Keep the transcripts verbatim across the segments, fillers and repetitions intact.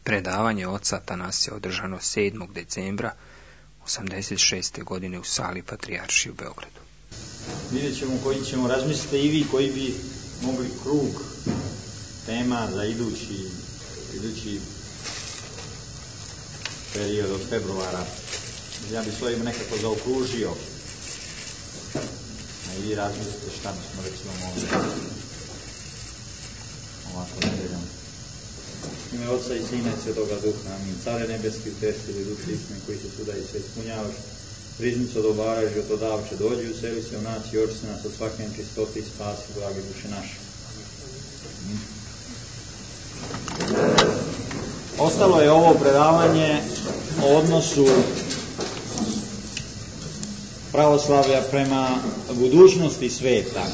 Predavanje oca Atanasija održano sedmog decembra osamdeset šeste. godine u sali Patrijaršije u Beogradu. Vidjet ćemo koji ćemo razmisliti i vi koji bi mogli krug tema za idući, idući period od februara. Ja bi svojim nekako zaokružio. A i vi razmislite šta bismo recimo mogli ovako nedeljom. Ime Otca i Sina i Svetoga Duha, amin. Care nebeski, utešitelji duše istine koji se suda i sve ispunjavaš, riznicu odobaraš i otodavče dođi, useli se u nas i oči se nas od svake nečistote i spasi, blage duše naše. Amin. Ostalo je ovo predavanje o odnosu pravoslavlja prema budućnosti sveta,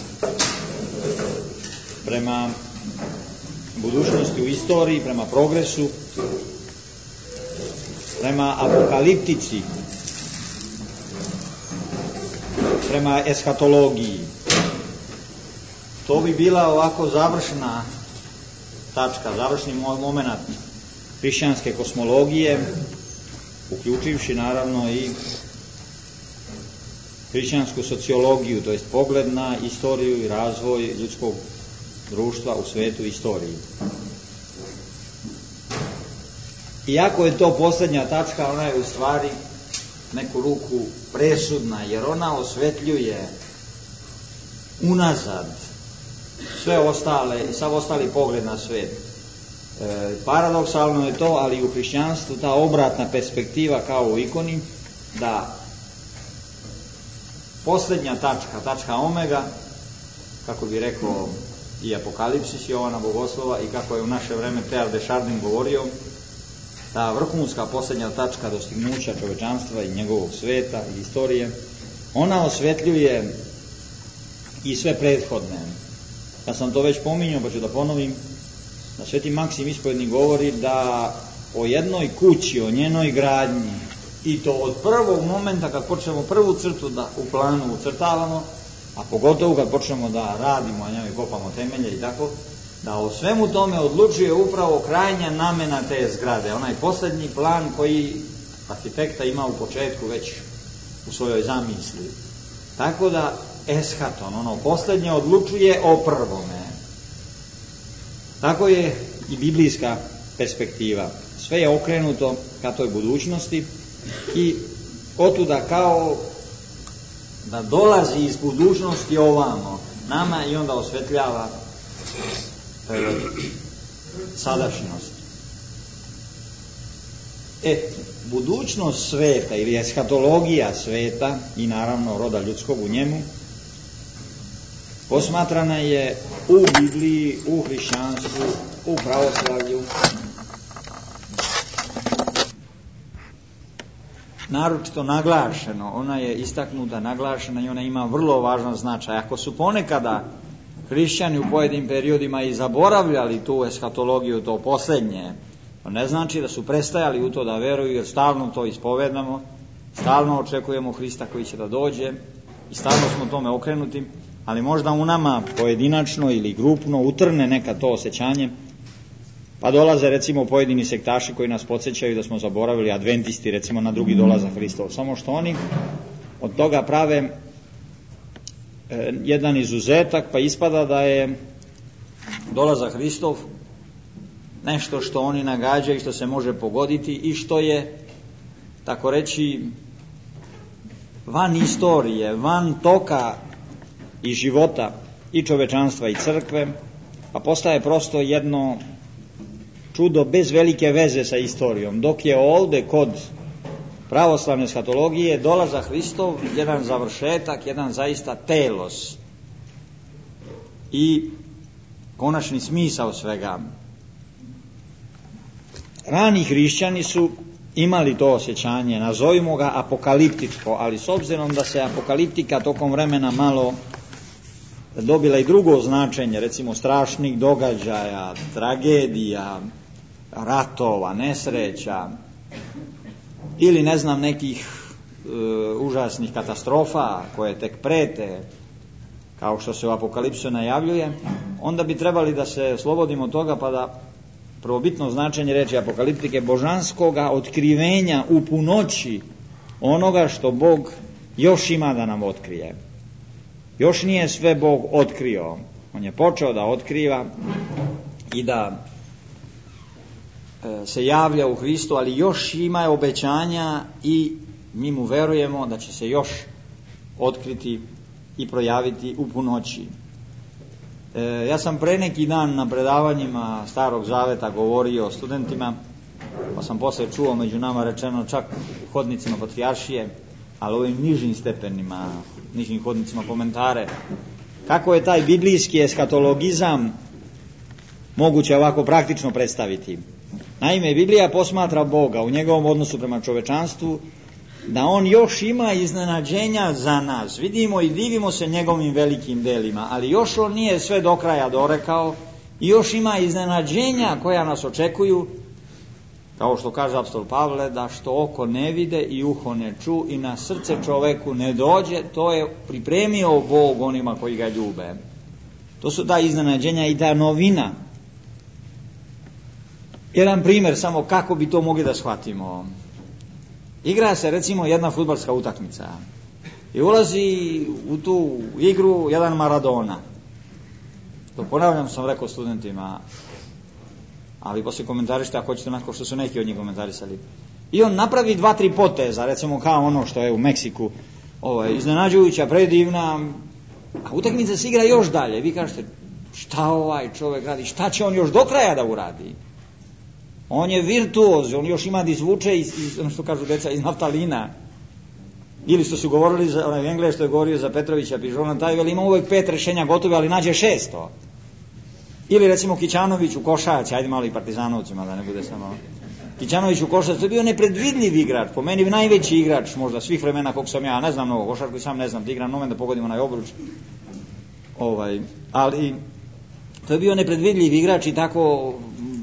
prema budućnosti u istoriji, prema progresu, prema apokaliptici, prema eshatologiji. To bi bila ovako završna tačka, završni moment hrišćanske kosmologije, uključivši naravno i hrišćansku sociologiju, to jest pogled na istoriju i razvoj ljudskog društva u svetu i istoriji. Iako je to posljednja tačka, ona je u stvari neku ruku presudna, jer ona osvetljuje unazad sve ostale i sav ostali pogled na svet. E, paradoksalno je to, ali u hrišćanstvu ta obratna perspektiva kao u ikoni, da posljednja tačka, tačka omega, kako bi rekao i Apokalipsis Jovana Bogoslova i kako je u naše vreme Teilhard de Chardin govorio, ta vrhunska posljednja tačka dostignuća čovečanstva i njegovog sveta i istorije, ona osvetljuje i sve prethodne. Ja sam to već pominjao, pa ću da ponovim, da Sveti Maksim Ispovjednik govori da o jednoj kući, o njenoj gradnji, i to od prvog momenta kad počnemo prvu crtu da u planu ucrtavamo, a pogotovo kad počnemo da radimo, a njoj kopamo temelje i tako, da o svemu tome odlučuje upravo krajnja namena te zgrade, onaj posljednji plan koji arhitekta ima u početku već u svojoj zamisli. Tako da eschaton, ono posljednje, odlučuje o prvome. Tako je i biblijska perspektiva. Sve je okrenuto ka toj budućnosti i otuda kao da dolazi iz budućnosti ovamo nama i onda osvetljava e, sadašnjost. E, budućnost sveta ili eshatologija sveta i naravno roda ljudskog u njemu posmatrana je u Bibliji, u hrišćanstvu, u pravoslavlju, naročito naglašeno, ona je istaknuta, naglašena i ona ima vrlo važan značaj. Ako su ponekada hrišćani u pojedinim periodima i zaboravljali tu eshatologiju, to posljednje, to ne znači da su prestajali u to da veruju, jer stalno to ispovedamo, stalno očekujemo Hrista koji će da dođe i stalno smo tome okrenuti, ali možda u nama pojedinačno ili grupno utrne neka to osjećanje, pa dolaze recimo pojedini sektaši koji nas podsjećaju da smo zaboravili, adventisti recimo, na drugi dolazak Hristov, samo što oni od toga prave e, jedan izuzetak, pa ispada da je dolazak Hristov nešto što oni nagađaju i što se može pogoditi i što je, tako reći, van istorije, van toka i života i čovečanstva i crkve, pa postaje prosto jedno čudo bez velike veze sa istorijom, dok je ovdje kod pravoslavne eshatologije dolazak Hristov jedan završetak, jedan zaista telos i konačni smisao svega. Rani hrišćani su imali to osjećanje, nazovimo ga apokaliptičko, ali s obzirom da se apokaliptika tokom vremena malo dobila i drugo značenje, recimo strašnih događaja, tragedija, ratova, nesreća ili ne znam nekih e, užasnih katastrofa koje tek prete, kao što se u Apokalipsu najavljuje, onda bi trebali da se slobodimo toga pa da prvobitno značenje reči apokaliptike, božanskoga otkrivenja u punoći onoga što Bog još ima da nam otkrije. Još nije sve Bog otkrio. On je počeo da otkriva i da e, se javlja u Hristu, ali još ima obećanja i mi mu verujemo da će se još otkriti i projaviti u punoći. E, ja sam pre neki dan na predavanjima Starog Zaveta govorio o studentima, pa sam posle čuo među nama rečeno čak u hodnicima patrijaršije, ali ovim nižim stepenima, nižim hodnicima komentare, kako je taj biblijski eskatologizam moguće ovako praktično predstaviti. Naime, Biblija posmatra Boga u njegovom odnosu prema čovečanstvu, da on još ima iznenađenja za nas. Vidimo i divimo se njegovim velikim delima, ali još on nije sve do kraja dorekao i još ima iznenađenja koja nas očekuju, kao što kaže apostol Pavle, da što oko ne vide i uho ne ču i na srce čoveku ne dođe, to je pripremio Bog onima koji ga ljube. To su ta iznenađenja i ta novina. Jedan primjer samo kako bi to mogli da shvatimo. Igra se recimo jedna fudbalska utakmica i ulazi u tu igru jedan Maradona. To ponavljam, sam rekao studentima, ali poslije komentarište ako hoćete onako što su neki od njih komentarisali. I on napravi dva, tri poteza, recimo kao ono što je u Meksiku, ovo je iznenađujuća, predivna, a utakmica se igra još dalje. Vi kažete, šta ovaj čovjek radi, šta će on još do kraja da uradi? On je virtuoz, on još ima da izvuče iz, iz, ono što kažu deca, iz naftalina. Ili što su govorili, za, onaj Englez što je govorio za Petrovića, Pižona, taj veli ima uvek pet rešenja gotove, ali nađe šesto. Ili recimo Kićanović u košarci, ajde malo i partizanovcima da ne bude samo. Kićanović u košarci, to je bio nepredvidljiv igrač, po meni najveći igrač možda svih vremena kog sam ja, ne znam mnogo košarku i sam ne znam, da igram nomen da pogodim onaj obruč. Ovaj, ali to je bio nepredvidljiv igrač i tako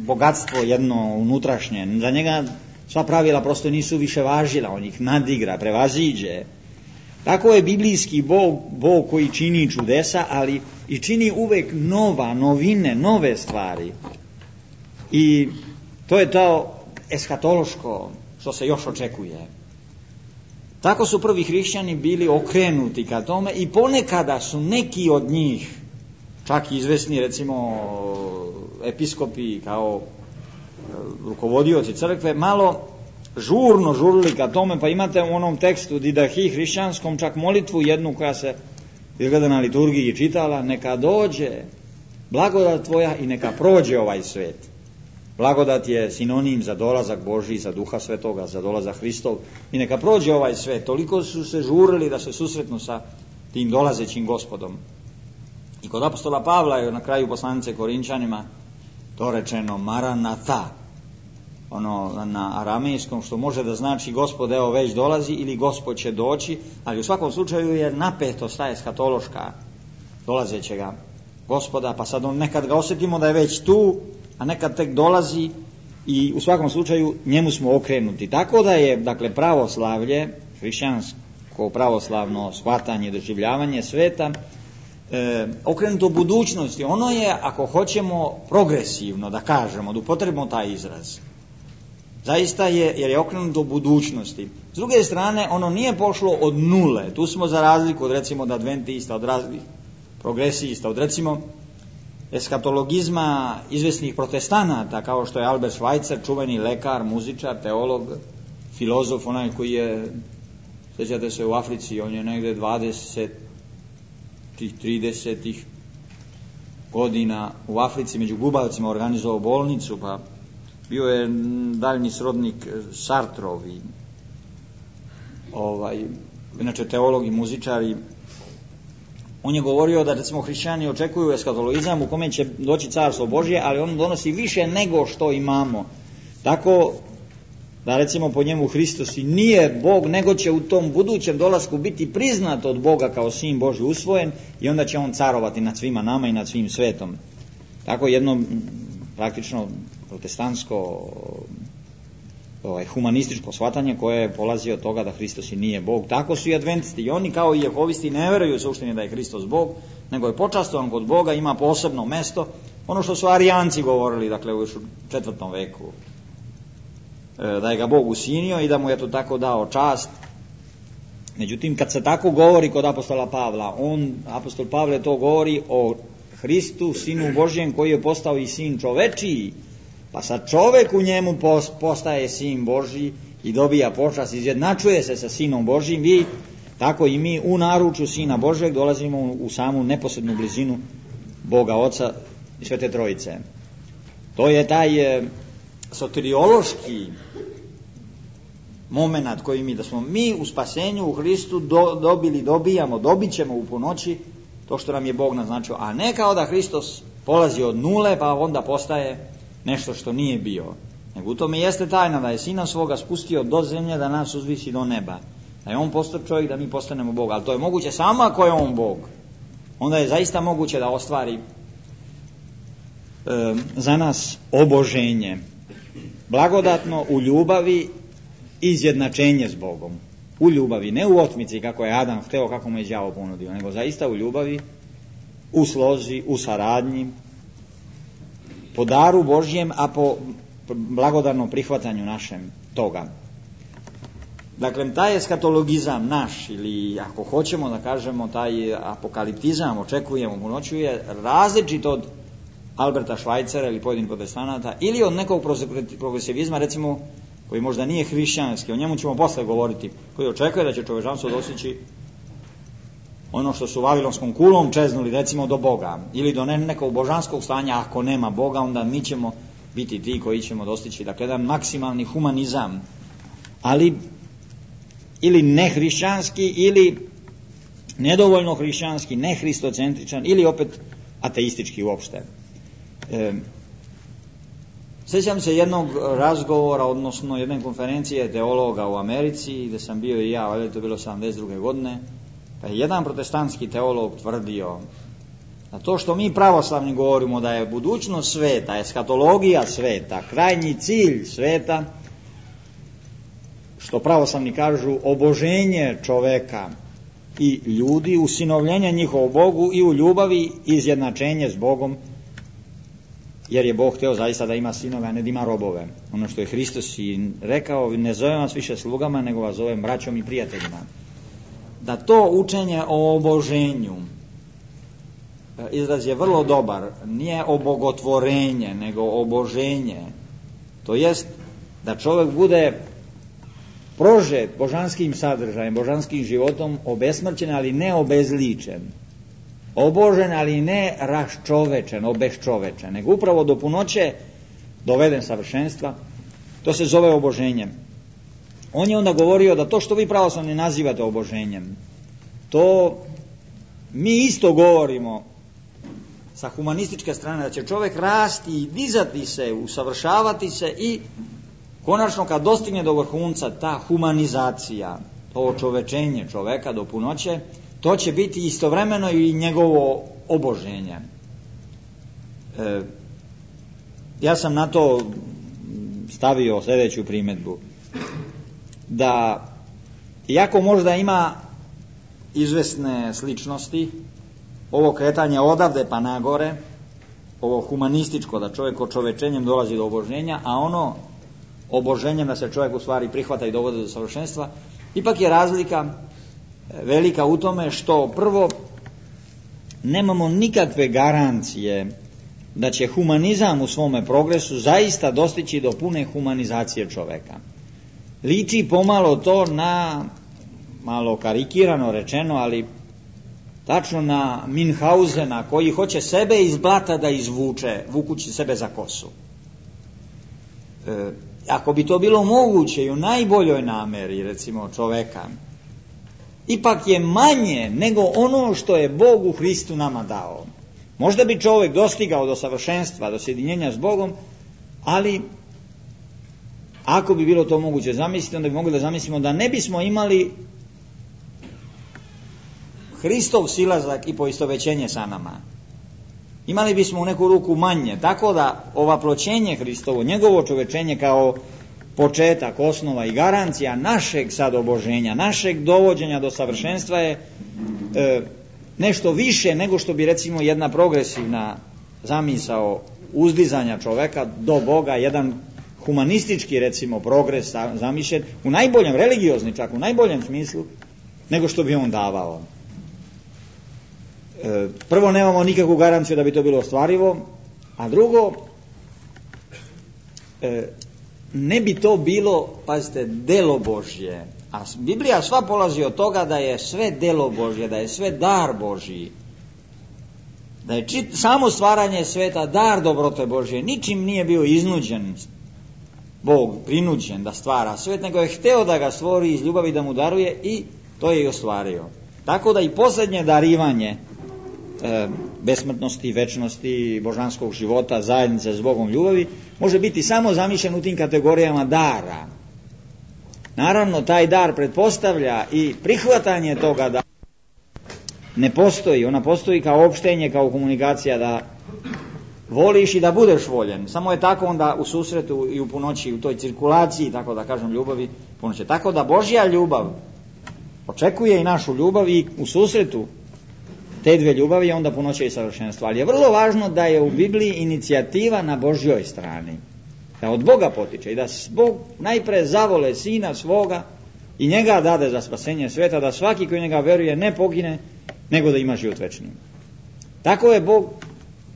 bogatstvo jedno unutrašnje. Za njega sva pravila prosto nisu više važila, on ih nadigra, prevaziđe. Tako je biblijski Bog, Bog koji čini čudesa, ali i čini uvek nova, novine, nove stvari. I to je to eskatološko što se još očekuje. Tako su prvi hrišćani bili okrenuti ka tome i ponekada su neki od njih, čak i izvesni recimo episkopi kao rukovodioci crkve, malo žurno žurili ka tome, pa imate u onom tekstu Didahi hrišćanskom čak molitvu jednu koja se izgleda na liturgiji čitala, neka dođe blagodat tvoja i neka prođe ovaj svet. Blagodat je sinonim za dolazak Božji, za Duha Svetoga, za dolazak Hristov i neka prođe ovaj svet. Toliko su se žurili da se susretnu sa tim dolazećim Gospodom. I kod apostola Pavla je na kraju poslanice Korinčanima to rečeno Maranatha, ono na aramejskom, što može da znači Gospod evo već dolazi ili Gospod će doći, ali u svakom slučaju je napetost ta eskatološka dolazećega Gospoda, pa sad on nekad ga osjetimo da je već tu, a nekad tek dolazi i u svakom slučaju njemu smo okrenuti. Tako da je, dakle, pravoslavlje, hrišćansko pravoslavno shvatanje, doživljavanje sveta, E, okrenuto budućnosti, ono je, ako hoćemo progresivno da kažemo, da upotrebimo taj izraz, zaista je, jer je okrenuto budućnosti. S druge strane, ono nije pošlo od nule, tu smo za razliku od recimo od adventista, od raznih progresista, od recimo eskatologizma izvesnih protestanata, kao što je Albert Schweitzer, čuveni lekar, muzičar, teolog, filozof, onaj koji je, sjećate se, u Africi, on je negde dvadeset tih tridesetih godina u Africi među gubavcima organizovao bolnicu, pa bio je daljni srodnik Sartrovi, ovaj, inače teolog i muzičar, i on je govorio da recimo hrišćani očekuju eskatologizam u kome će doći carstvo Božje, ali on donosi više nego što imamo. Tako da recimo po njemu Hristos i nije Bog, nego će u tom budućem dolasku biti priznat od Boga kao sin Božji usvojen i onda će on carovati nad svima nama i nad svim svetom. Tako jedno praktično protestantsko ovaj, humanističko shvatanje koje polazi od toga da Hristos i nije Bog. Tako su i adventisti i oni kao i jehovisti ne veruju suštini da je Hristos Bog, nego je počastovan kod Boga, ima posebno mesto ono što su Arijanci govorili, dakle u četvrtom veku, da je ga Bog usinio i da mu je to tako dao čast. Međutim, kad se tako govori kod apostola Pavla, on, apostol Pavle to govori o Hristu, Sinu Božjem, koji je postao i sin čovečiji, pa sad čovek u njemu postaje sin Božji i dobija počast, izjednačuje se sa Sinom Božjim, i tako i mi u naručju Sina Božjeg dolazimo u samu neposrednu blizinu Boga Oca i Svete Trojice. To je taj e, soteriološki moment koji mi, da smo mi u spasenju u Hristu do, dobili, dobijamo, dobit ćemo u punoći to što nam je Bog naznačio, a ne kao da Hristos polazi od nule pa onda postaje nešto što nije bio. Nego u tome jeste tajna da je Sina svoga spustio do zemlje da nas uzvisi do neba. Da je on postao čovjek da mi postanemo Bog, ali to je moguće samo ako je on Bog. Onda je zaista moguće da ostvari e, za nas oboženje. Blagodatno u ljubavi izjednačenje s Bogom. U ljubavi, ne u otmici kako je Adam hteo, kako mu je đavo ponudio, nego zaista u ljubavi, u slozi, u saradnji, po daru Božjem, a po blagodarnom prihvatanju našem toga. Dakle, taj eskatologizam naš, ili ako hoćemo da kažemo taj apokaliptizam, očekujemo punoću, je različit od Alberta Schweitzera ili pojedinih protestanata, ili od nekog progresivizma, recimo, koji možda nije hrišćanski, o njemu ćemo posle govoriti, koji očekuje da će čovečanstvo dostići ono što su vavilonskom kulom čeznuli, recimo, do Boga, ili do nekog božanskog stanja. Ako nema Boga, onda mi ćemo biti ti koji ćemo dostići, dakle, jedan maksimalni humanizam, ali ili nehrišćanski, ili nedovoljno hrišćanski, nehristocentričan, ili opet ateistički uopšte. E, Sjećam se jednog razgovora, odnosno jedne konferencije teologa u Americi, gdje sam bio i ja, ali to je bilo sedamdeset druge godine, pa je jedan protestantski teolog tvrdio da to što mi pravoslavni govorimo da je budućnost sveta, eskatologija sveta, krajnji cilj sveta, što pravoslavni kažu oboženje čoveka i ljudi, usinovljenje njihovu Bogu i u ljubavi izjednačenje s Bogom, jer je Bog hteo zaista da ima sinove, a ne da ima robove. Ono što je Hristos i rekao, ne zovem vas više slugama, nego vas zovem braćom i prijateljima. Da to učenje o oboženju, izraz je vrlo dobar, nije obogotvorenje, nego oboženje. To jest da čovjek bude prožet božanskim sadržajem, božanskim životom, obesmrćen, ali ne obezličen. Obožen, ali ne raščovečen, obeščovečen, nego upravo do punoće doveden savršenstva. To se zove oboženjem. On je onda govorio da to što vi pravoslavni nazivate oboženjem, to mi isto govorimo sa humanističke strane, da će čovjek rasti i dizati se, usavršavati se i konačno kad dostigne do vrhunca ta humanizacija, to očovečenje čoveka do punoće, to će biti istovremeno i njegovo oboženje. E, ja sam na to stavio sljedeću primjedbu. Da, iako možda ima izvesne sličnosti, ovo kretanje odavde pa nagore, ovo humanističko, da čovjek očovečenjem dolazi do oboženja, a ono oboženjem da se čovjek u stvari prihvata i dovodi do savršenstva, ipak je razlika velika u tome što prvo nemamo nikakve garancije da će humanizam u svome progresu zaista dostići do pune humanizacije čoveka. Liči pomalo to na, malo karikirano rečeno, ali tačno na Minhausena koji hoće sebe iz blata da izvuče, vukući sebe za kosu. E, ako bi to bilo moguće i u najboljoj nameri, recimo, čoveka, ipak je manje nego ono što je Bog u Hristu nama dao. Možda bi čovjek dostigao do savršenstva, do sjedinjenja s Bogom, ali ako bi bilo to moguće zamisliti, onda bi mogli da zamislimo da ne bismo imali Hristov silazak i poistovećenje sa nama. Imali bismo u neku ruku manje, tako da ovaploćenje Hristovo, njegovo čovečenje kao početak, osnova i garancija našeg sad oboženja, našeg dovođenja do savršenstva je e, nešto više nego što bi recimo jedna progresivna zamisao uzdizanja čoveka do Boga, jedan humanistički, recimo, progres zamišljen, u najboljem, religiozni čak, u najboljem smislu, nego što bi on davao. E, prvo, nemamo nikakvu garanciju da bi to bilo ostvarivo, a drugo, e, ne bi to bilo, pazite, delo Božje. A Biblija sva polazi od toga da je sve delo Božje, da je sve dar Božji, da je čit, samo stvaranje sveta dar dobrote Božje, ničim nije bio iznuđen Bog, prinuđen da stvara svet, nego je hteo da ga stvori iz ljubavi, da mu daruje, i to je i ostvario. Tako da i posljednje darivanje e, besmrtnosti, večnosti, božanskog života, zajednice s Bogom, ljubavi, može biti samo zamišljen u tim kategorijama dara. Naravno, taj dar pretpostavlja i prihvatanje toga da ne postoji, ona postoji kao opštenje, kao komunikacija, da voliš i da budeš voljen. Samo je tako onda u susretu i u punoći, u toj cirkulaciji, tako da kažem, ljubavi punoće. Tako da Božja ljubav očekuje i našu ljubav, i u susretu te dve ljubavi je onda punoće i savršenstvo. Ali je vrlo važno da je u Bibliji inicijativa na Božjoj strani, da od Boga potiče i da Bog najpre zavole Sina svoga i njega dade za spasenje sveta, da svaki koji njega veruje ne pogine, nego da ima život večni. Tako je Bog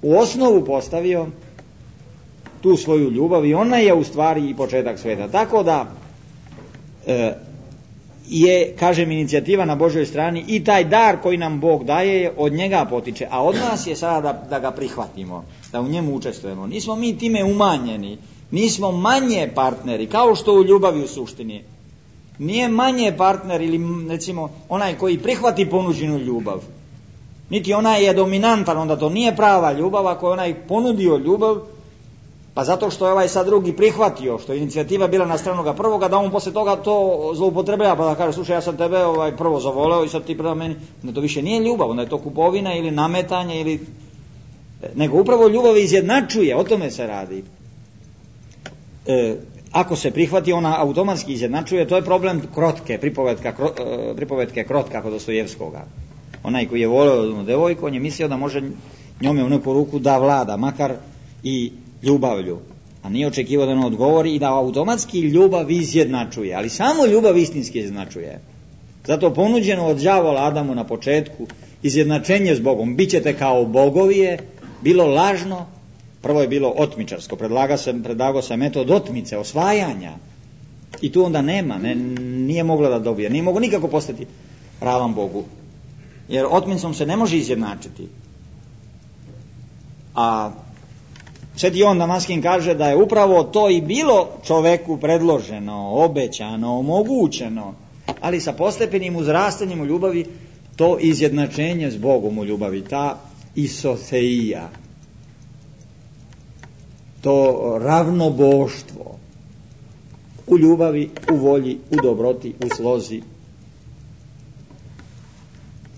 u osnovu postavio tu svoju ljubav i ona je u stvari i početak sveta. Tako da e, je, kažem, inicijativa na Božjoj strani, i taj dar koji nam Bog daje od njega potiče, a od nas je sada da, da ga prihvatimo, da u njemu učestvujemo. Nismo mi time umanjeni, nismo manje partneri, kao što u ljubavi u suštini. Nije manje partner ili, recimo, onaj koji prihvati ponuđenu ljubav, niti onaj je dominantan, onda to nije prava ljubav. Ako je onaj ponudio ljubav, pa zato što je ovaj sad drugi prihvatio, što je inicijativa bila na stranu ga prvoga, da on posle toga to zloupotrebljava, pa da kaže, slušaj, ja sam tebe ovaj, prvo zavoleo i sad ti prema meni, onda to više nije ljubav, onda je to kupovina ili nametanje, ili nego upravo ljubav izjednačuje, o tome se radi. E, ako se prihvati, ona automatski izjednačuje. To je problem krotke, pripovetka, kro, e, pripovetke krotka kod Dostojevskoga. Onaj koji je voleo jednu devojku, on je mislio da može njome u neku ruku da vlada, makar i ljubavlju, a nije očekivao da ona odgovori, i da automatski ljubav izjednačuje, ali samo ljubav istinski izjednačuje. Zato ponuđeno od đavola Adamu na početku izjednačenje s Bogom, bit ćete kao bogovije, bilo lažno. Prvo je bilo otmičarsko, predlagao se, predlagao se metod otmice, osvajanja, i tu onda nema, ne, nije mogla da dobije, nije moglo nikako postati ravan Bogu, jer otmicom se ne može izjednačiti. A Sveti Jovan Damaskin kaže da je upravo to i bilo čoveku predloženo, obećano, omogućeno, ali sa postepenim uzrastanjem u ljubavi, to izjednačenje s Bogom u ljubavi, ta isoteija, to ravnoboštvo u ljubavi, u volji, u dobroti, u slozi.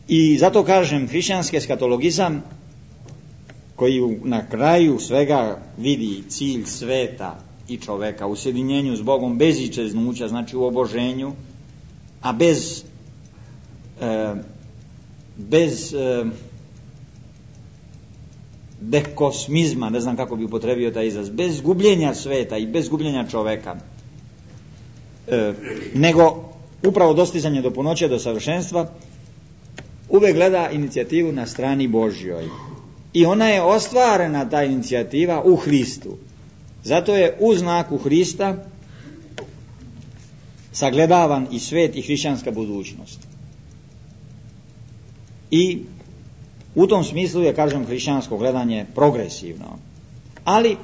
I zato kažem, hrišćanski eskatologizam, koji na kraju svega vidi cilj sveta i čoveka u sjedinjenju s Bogom bez ičeznuća, znači u oboženju, a bez e, bez e, dekosmizma, ne znam kako bi upotrebio taj izraz, bez gubljenja sveta i bez gubljenja čoveka, e, nego upravo dostizanje do punoće, do savršenstva, uvek gleda inicijativu na strani Božjoj. I ona je ostvarena, ta inicijativa, u Hristu. Zato je u znaku Hrista sagledavan i svet i hrišćanska budućnost. I u tom smislu je, kažem, hrišćansko gledanje progresivno. Ali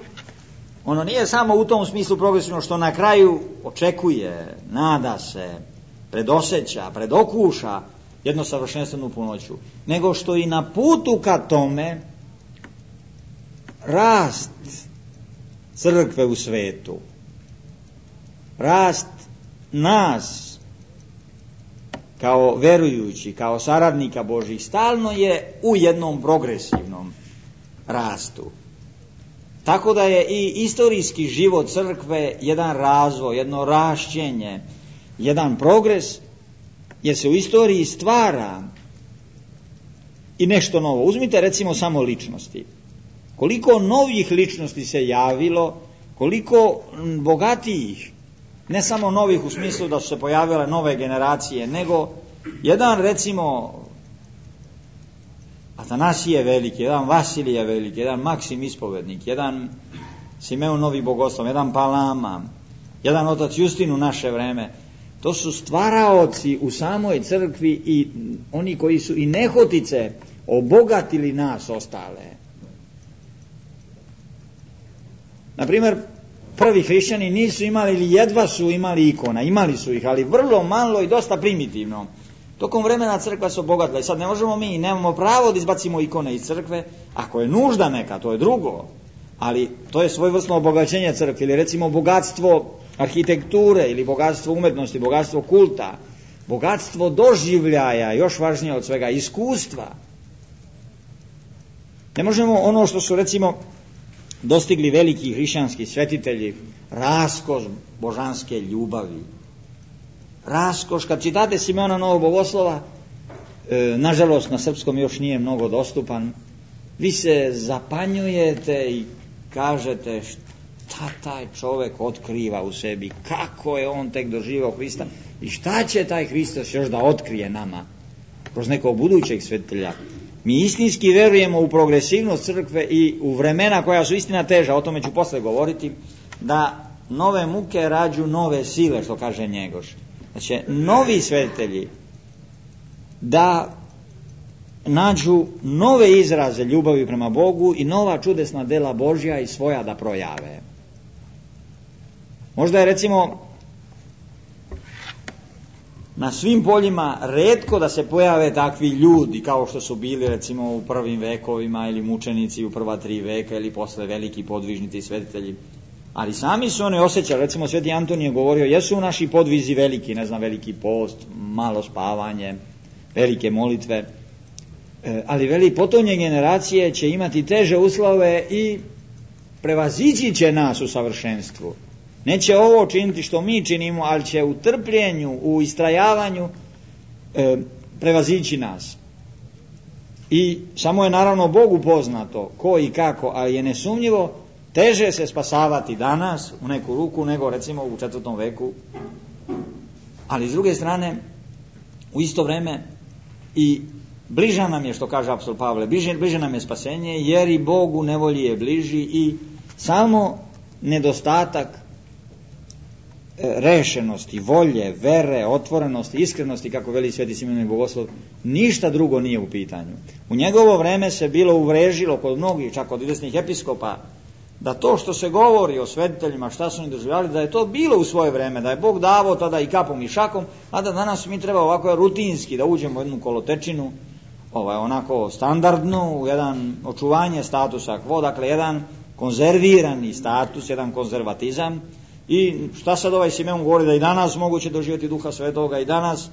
ono nije samo u tom smislu progresivno što na kraju očekuje, nada se, predosjeća, predokuša jedno savršenstvenu punoću, nego što i na putu ka tome rast crkve u svetu, rast nas kao verujući, kao saradnika Božih, stalno je u jednom progresivnom rastu. Tako da je i istorijski život crkve jedan razvoj, jedno rašćenje, jedan progres, jer se u istoriji stvara i nešto novo. Uzmite recimo samo ličnosti. koliko novih ličnosti se javilo, koliko bogatijih, ne samo novih u smislu da su se pojavile nove generacije, nego jedan, recimo, Atanasije veliki, jedan Vasilije veliki, jedan Maksim ispovednik, jedan Simeon Novi Bogoslov, jedan Palama, jedan otac Justin u naše vreme. To su stvaraoci u samoj crkvi i oni koji su i nehotice obogatili nas ostale. Naprimjer, prvi hrišćani nisu imali ili jedva su imali ikona, imali su ih, ali vrlo malo i dosta primitivno. Tokom vremena crkva se obogatila i sad ne možemo mi, nemamo pravo da izbacimo ikone iz crkve, ako je nužda neka, to je drugo, ali to je svojevrsno obogaćenje crkve, ili recimo bogatstvo arhitekture, ili bogatstvo umetnosti, bogatstvo kulta, bogatstvo doživljaja, još važnije od svega, iskustva. Ne možemo ono što su recimo dostigli veliki hrišćanski svetitelji, raskoš božanske ljubavi. Raskoš, kad čitate Simeona Novog Bogoslova, e, nažalost na srpskom još nije mnogo dostupan, vi se zapanjujete i kažete šta taj čovek otkriva u sebi, kako je on tek doživao Hrista i šta će taj Hristos još da otkrije nama kroz nekog budućeg svetitelja. Mi istinski verujemo u progresivnost crkve i u vremena koja su istina teža, o tome ću posle govoriti, da nove muke rađu nove sile, što kaže Njegoš. Znači, novi svetitelji da nađu nove izraze ljubavi prema Bogu i nova čudesna dela Božja i svoja da projave. Možda je recimo na svim poljima retko da se pojave takvi ljudi kao što su bili recimo u prvim vekovima ili mučenici u prva tri veka ili posle veliki podvižnici svetitelji. Ali sami su oni osjećali, recimo Sveti Antonije je govorio, jesu naši podvizi veliki, ne znam, veliki post, malo spavanje, velike molitve, e, ali veli potonje generacije će imati teže uslove i prevazići će nas u savršenstvu. Neće ovo činiti što mi činimo, ali će u trpljenju, u istrajavanju e, prevazići nas. I samo je naravno Bogu poznato ko i kako, ali je nesumnjivo teže se spasavati danas u neku ruku nego recimo u četvrtom veku. Ali s druge strane, u isto vreme i bliža nam je, što kaže apostol Pavle, bliže, bliže nam je spasenje, jer i Bogu nevolji je bliži i samo nedostatak rešenosti, volje, vere, otvorenosti, iskrenosti, kako veli Sveti Simeon Novi Bogoslov, ništa drugo nije u pitanju. U njegovo vreme se bilo uvrežilo kod mnogih, čak od izvesnih episkopa, da to što se govori o svetiteljima, šta su oni doživljavali, da je to bilo u svoje vreme, da je Bog davao tada i kapom i šakom, a da danas mi treba ovako rutinski da uđemo u jednu kolotečinu, ovaj, onako standardnu, u jedan očuvanje statusa quo, dakle jedan konzervirani status, jedan konzervatizam. I šta sad ovaj Simeon govori, da i danas moguće doživjeti Duha Svetoga, i danas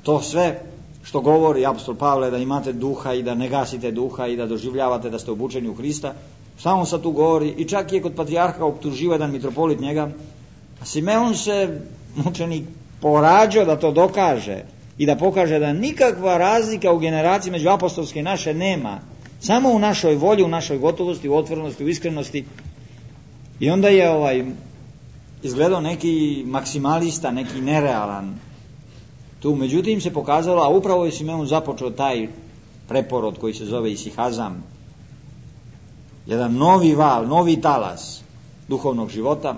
to sve što govori apostol Pavle, da imate duha i da ne gasite duha i da doživljavate da ste obučeni u Hrista, šta on sad tu govori? I čak je kod patrijarha optužio jedan mitropolit njega, a Simeon se mučenik porađao da to dokaže i da pokaže da nikakva razlika u generaciji među apostolske i naše nema, samo u našoj volji, u našoj gotovosti, u otvorenosti, u iskrenosti. I onda je ovaj izgledao neki maksimalista, neki nerealan. Tu međutim se pokazalo, a upravo je Simeon započeo taj preporod koji se zove isihazam, jedan novi val, novi talas duhovnog života,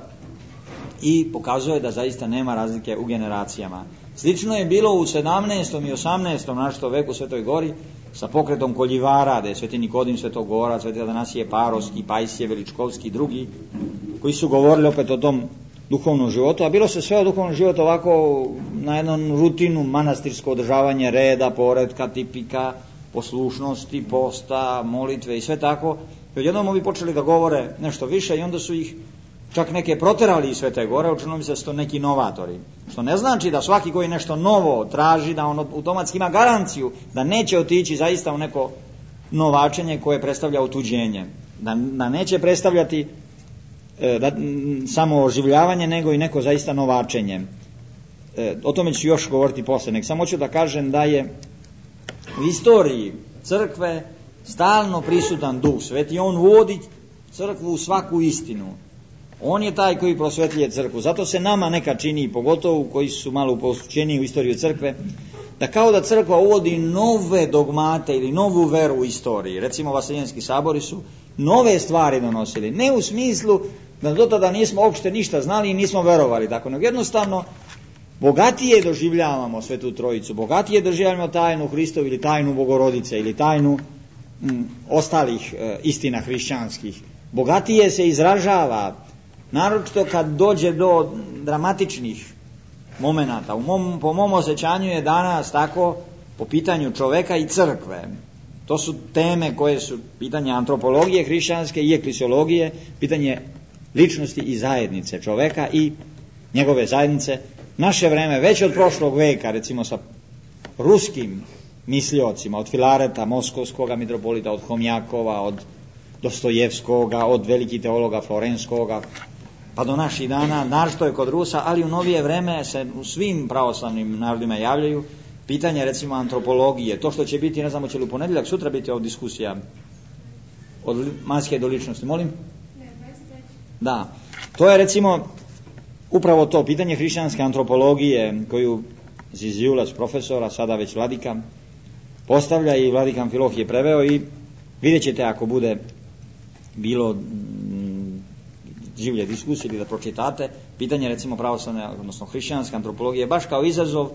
i pokazuje da zaista nema razlike u generacijama. Slično je bilo u sedamnaestom i osamnaestom naštom veku u Svetoj Gori sa pokretom koljivara, da je Sveti Nikodim Svetogora, Sveti Atanasije Parovski, Pajsije Veličkovski i drugi, koji su govorili opet o tom duhovnom životu, a bilo se sve o duhovnom životu ovako na jednu rutinu, manastirsko održavanje reda, poretka, tipika, poslušnosti, posta, molitve i sve tako. I odjednom ovi počeli da govore nešto više i onda su ih čak neke proterali iz Svete Gore, učinilo mi se da su to neki novatori. Što ne znači da svaki koji nešto novo traži, da on automatski ima garanciju da neće otići zaista u neko novačenje koje predstavlja otuđenje. Da, da neće predstavljati e, da, m, samo oživljavanje, nego i neko zaista novačenje. E, o tome ću još govoriti posle. Nek samo ću da kažem da je u istoriji crkve stalno prisutan Duh Sveti, on vodi crkvu u svaku istinu. On je taj koji prosvetljuje crkvu. Zato se nama neka čini, pogotovo koji su malo uposlučeni u istoriju crkve, da kao da crkva uvodi nove dogmate ili novu veru u istoriji. Recimo Vaseljenski sabori su nove stvari donosili. Ne u smislu da do tada nismo uopšte ništa znali i nismo verovali. Tako, nego jednostavno bogatije doživljavamo Svetu Trojicu, bogatije doživljavamo tajnu Hristovu ili tajnu Bogorodice ili tajnu m, ostalih e, istina hrišćanskih. Bogatije se izražava, naročito kad dođe do dramatičnih momenata. U mom, po mom osjećanju je danas tako po pitanju čoveka i crkve. To su teme koje su pitanje antropologije hrišćanske i eklesiologije, pitanje ličnosti i zajednice čoveka i njegove zajednice. Naše vreme, već od prošlog veka, recimo sa ruskim misliocima, od Filareta, moskovskoga mitropolita, od Homjakova, od Dostojevskoga, od velikih teologa Florenskoga, pa do naših dana, naročito je kod Rusa, ali u novije vreme se u svim pravoslavnim narodima javljaju pitanja, recimo, antropologije. To što će biti, ne znamo, će li u ponedjeljak, sutra biti ovdje diskusija od maske do ličnosti. Molim? Da. To je, recimo, upravo to pitanje hrišćanske antropologije koju Ziziulas profesora, sada već vladika, postavlja i vladik Amfilohije je preveo i vidjet ćete ako bude bilo m, življe diskusije ili da pročitate, pitanje recimo pravoslavne, odnosno hrišćanske antropologije, baš kao izazov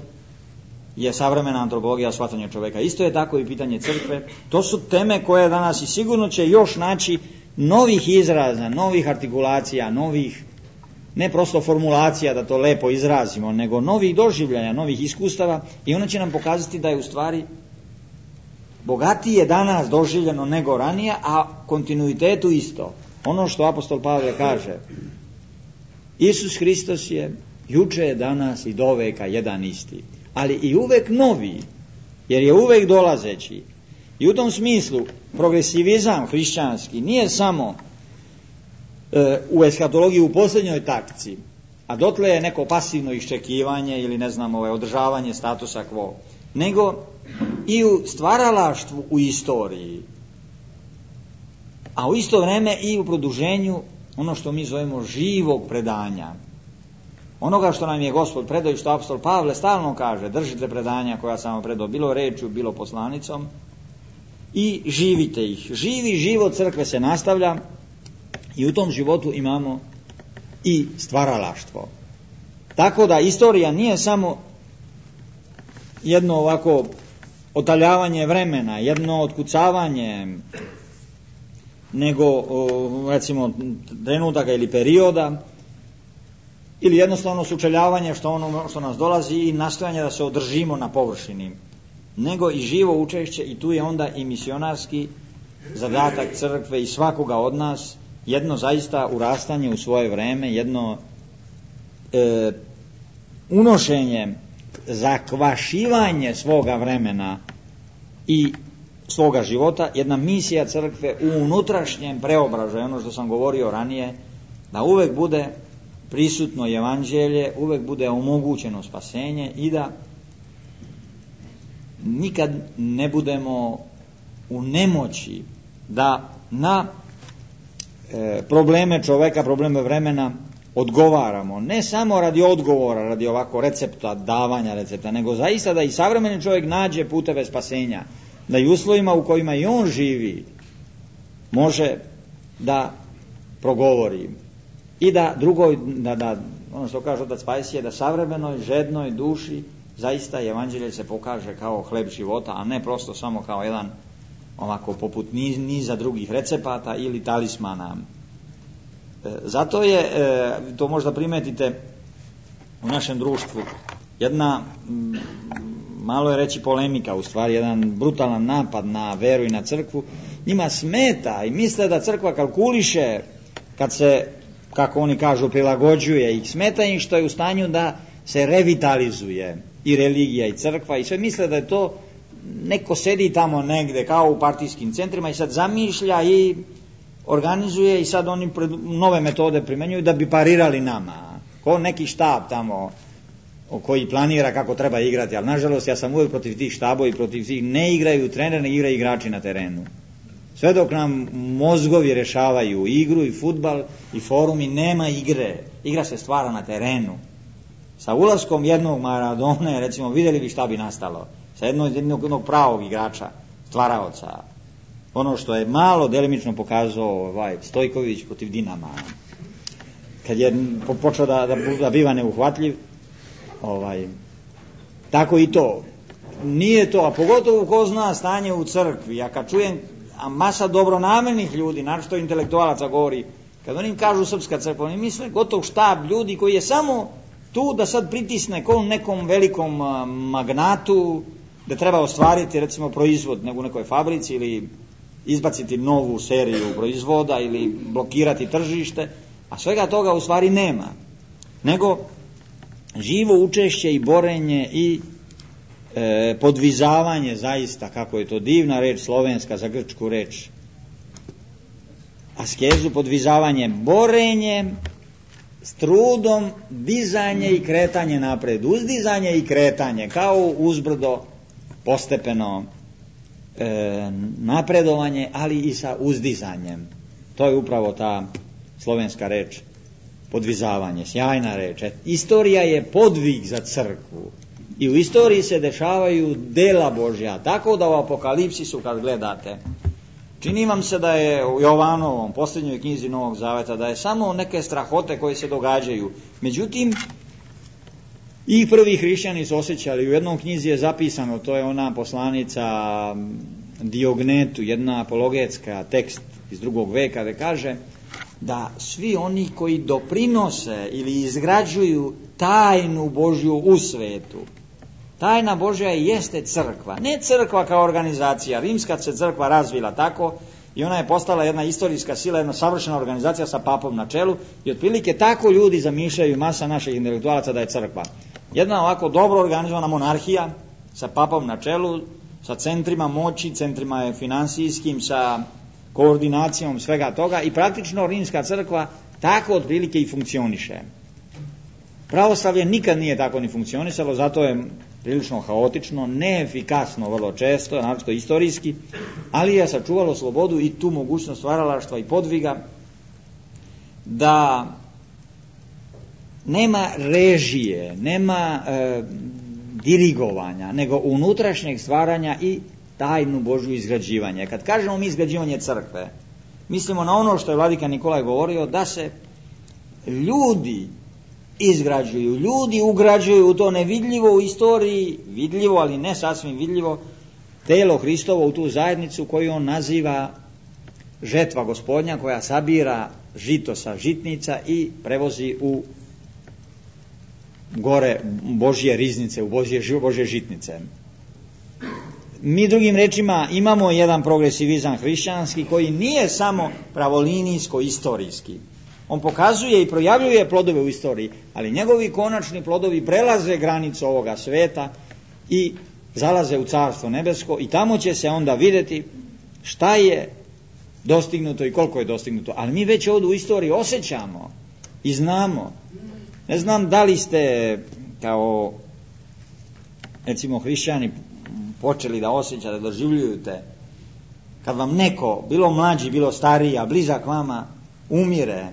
je savremena antropologija shvatanja čoveka. Isto je tako i pitanje crkve. To su teme koje danas i sigurno će još naći novih izraza, novih artikulacija, novih, ne prosto formulacija da to lepo izrazimo, nego novih doživljaja, novih iskustava i ono će nam pokazati da je u stvari bogatije danas doživljeno nego ranije, a kontinuitetu isto. Ono što apostol Pavle kaže, Isus Hristos je juče, danas i do veka jedan isti, ali i uvek novi, jer je uvek dolazeći. I u tom smislu progresivizam hrišćanski nije samo e, u eskatologiji u posljednjoj takci, a dotle je neko pasivno iščekivanje ili ne znam, ovaj, održavanje statusa quo, nego i u stvaralaštvu u istoriji, a u isto vrijeme i u produženju ono što mi zovemo živog predanja. Onoga što nam je Gospod predao i što apostol Pavle stalno kaže, držite predanja koja sam vam predao, bilo rečju, bilo poslanicom, i živite ih. Živi život crkve se nastavlja i u tom životu imamo i stvaralaštvo. Tako da istorija nije samo jedno ovako otaljavanje vremena, jedno otkucavanje, nego recimo trenutaka ili perioda, ili jednostavno sučeljavanje što ono što nas dolazi i nastojanje da se održimo na površini, nego i živo učešće, i tu je onda i misionarski zadatak crkve i svakoga od nas, jedno zaista urastanje u svoje vreme, jedno e, unošenje, zakvašivanje svoga vremena i svoga života, jedna misija crkve u unutrašnjem preobražaju, ono što sam govorio ranije, da uvek bude prisutno evanđelje, uvek bude omogućeno spasenje i da nikad ne budemo u nemoći da na e, probleme čoveka, probleme vremena odgovaramo. Ne samo radi odgovora, radi ovako recepta, davanja recepta, nego zaista da i savremeni čovjek nađe puteve spasenja, da i uslovima u kojima i on živi može da progovori i da drugoj, da, da ono što kaže otac Pajsije, da savremenoj, žednoj duši zaista evanđelje se pokaže kao hleb života, a ne prosto samo kao jedan ovako poput niz, niza drugih recepata ili talismana. E, zato je, e, to možda primetite u našem društvu, jedna, m, malo je reći polemika, u stvari jedan brutalan napad na veru i na crkvu. Njima smeta i misle da crkva kalkuliše kad se, kako oni kažu, prilagođuje, i smeta im što je u stanju da se revitalizuje i religija i crkva, i sve misle da je to neko sedi tamo negde kao u partijskim centrima i sad zamišlja i organizuje, i sad oni nove metode primenjuju da bi parirali nama, ko neki štab tamo koji planira kako treba igrati. Ali nažalost ja sam uvijek protiv tih štabova i protiv tih, ne igraju trener, ne igraju igrači na terenu. Sve dok nam mozgovi rešavaju igru i fudbal i forumi, nema igre. Igra se stvara na terenu. Sa ulaskom jednog Maradone, recimo, vidjeli bi šta bi nastalo. Sa jednog, jednog, jednog pravog igrača, stvaraoca. Ono što je malo delimično pokazao ovaj, Stojković protiv Dinama. Kad je počeo da, da, da biva neuhvatljiv, ovaj, tako i to. Nije to, a pogotovo ko zna stanje u crkvi. Ja kad čujem, a masa dobronamernih ljudi, naročito intelektualaca govori, kad oni kažu srpska crkva, oni misle gotov štab ljudi koji je samo tu da sad pritisne kom nekom velikom magnatu, da treba ostvariti recimo proizvod u nekoj fabrici ili izbaciti novu seriju proizvoda ili blokirati tržište, a svega toga u stvari nema. Nego živo učešće i borenje i e, podvizavanje, zaista, kako je to divna reč slovenska za grčku reč, askezu, podvizavanje, borenje s trudom, dizanje i kretanje napred, uzdizanje i kretanje, kao uzbrdo, postepeno e, napredovanje, ali i sa uzdizanjem. To je upravo ta slovenska reč, podvizavanje, sjajna reč. Istorija je podvig za crkvu i u istoriji se dešavaju dela Božja, tako da u Apokalipsisu kad gledate, čini vam se da je u Jovanovom, posljednjoj knjizi Novog Zaveta, da je samo neke strahote koje se događaju. Međutim, i prvi hrišćani su osjećali, u jednom knjizi je zapisano, to je ona poslanica Diognetu, jedna apologetska tekst iz drugog veka, da kaže da svi oni koji doprinose ili izgrađuju tajnu Božju u svetu, tajna Božja jeste crkva, ne crkva kao organizacija. Rimska se crkva razvila tako i ona je postala jedna istorijska sila, jedna savršena organizacija sa papom na čelu i otprilike tako ljudi zamišljaju, masa naših intelektualaca, da je crkva jedna ovako dobro organizovana monarhija sa papom na čelu, sa centrima moći, centrima finansijskim, sa koordinacijom svega toga i praktično rimska crkva tako otprilike i funkcioniše. Pravoslavlje nikad nije tako ni funkcionisalo, zato je prilično haotično, neefikasno vrlo često, naročito istorijski, ali je sačuvalo slobodu i tu mogućnost stvaralaštva i podviga, da nema režije, nema e, dirigovanja, nego unutrašnjeg stvaranja i tajnu Božju izgrađivanja. Kad kažemo mi izgrađivanje crkve, mislimo na ono što je vladika Nikolaj govorio, da se ljudi izgrađuju, ljudi ugrađuju u to nevidljivo u istoriji, vidljivo, ali ne sasvim vidljivo, telo Hristovo u tu zajednicu koju on naziva žetva Gospodnja, koja sabira žito sa žitnica i prevozi u gore Božje riznice, u Božje, Božje žitnice. Mi drugim rečima imamo jedan progresivizam hrišćanski koji nije samo pravolinijsko-istorijski. On pokazuje i projavljuje plodove u istoriji, ali njegovi konačni plodovi prelaze granicu ovoga sveta i zalaze u Carstvo nebesko i tamo će se onda vidjeti šta je dostignuto i koliko je dostignuto. Ali mi već ovdje u istoriji osjećamo i znamo. Ne znam da li ste kao recimo hrišćani počeli da osjećate, da doživljujete kad vam neko, bilo mlađi, bilo stariji, a blizak vama, umire,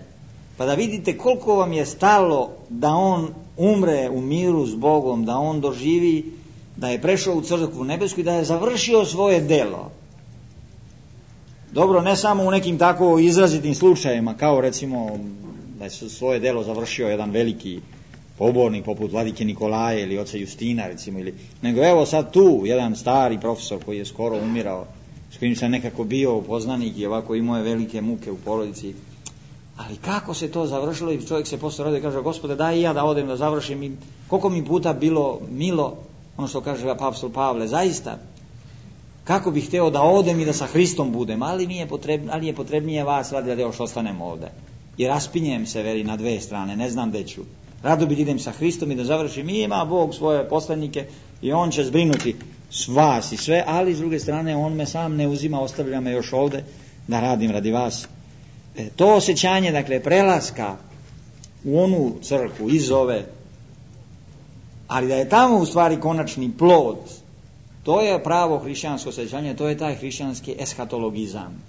pa da vidite koliko vam je stalo da on umre u miru s Bogom, da on doživi da je prešao u crkvu nebesku i da je završio svoje delo. Dobro, ne samo u nekim tako izrazitim slučajevima, kao recimo da je svoje delo završio jedan veliki pobornik poput vladike Nikolaje ili oca Justina, recimo, ili, nego evo sad tu jedan stari profesor koji je skoro umirao, s kojim sam nekako bio poznanik i ovako imao je velike muke u porodici. Ali kako se to završilo i čovjek se posle rodi i kaže, Gospode, daj i ja da odem da završim, i koliko mi puta bilo milo, ono što kaže apostol Pavle, zaista, kako bih hteo da odem i da sa Hristom budem, ali, mi je, potrebno, ali je potrebnije vas radi da još ostanem ovde. I raspinjem se, veri, na dve strane, ne znam gde ću. Rado bih idem sa Hristom i da završim, i ima Bog svoje poslanike i on će zbrinuti s vas i sve, ali s druge strane on me sam ne uzima, ostavlja me još ovde da radim radi vas. E, to osjećanje, dakle, prelaska u onu crkvu iz ove, ali da je tamo u stvari konačni plod, to je pravo hrišćansko osjećanje, to je taj hrišćanski eshatologizam.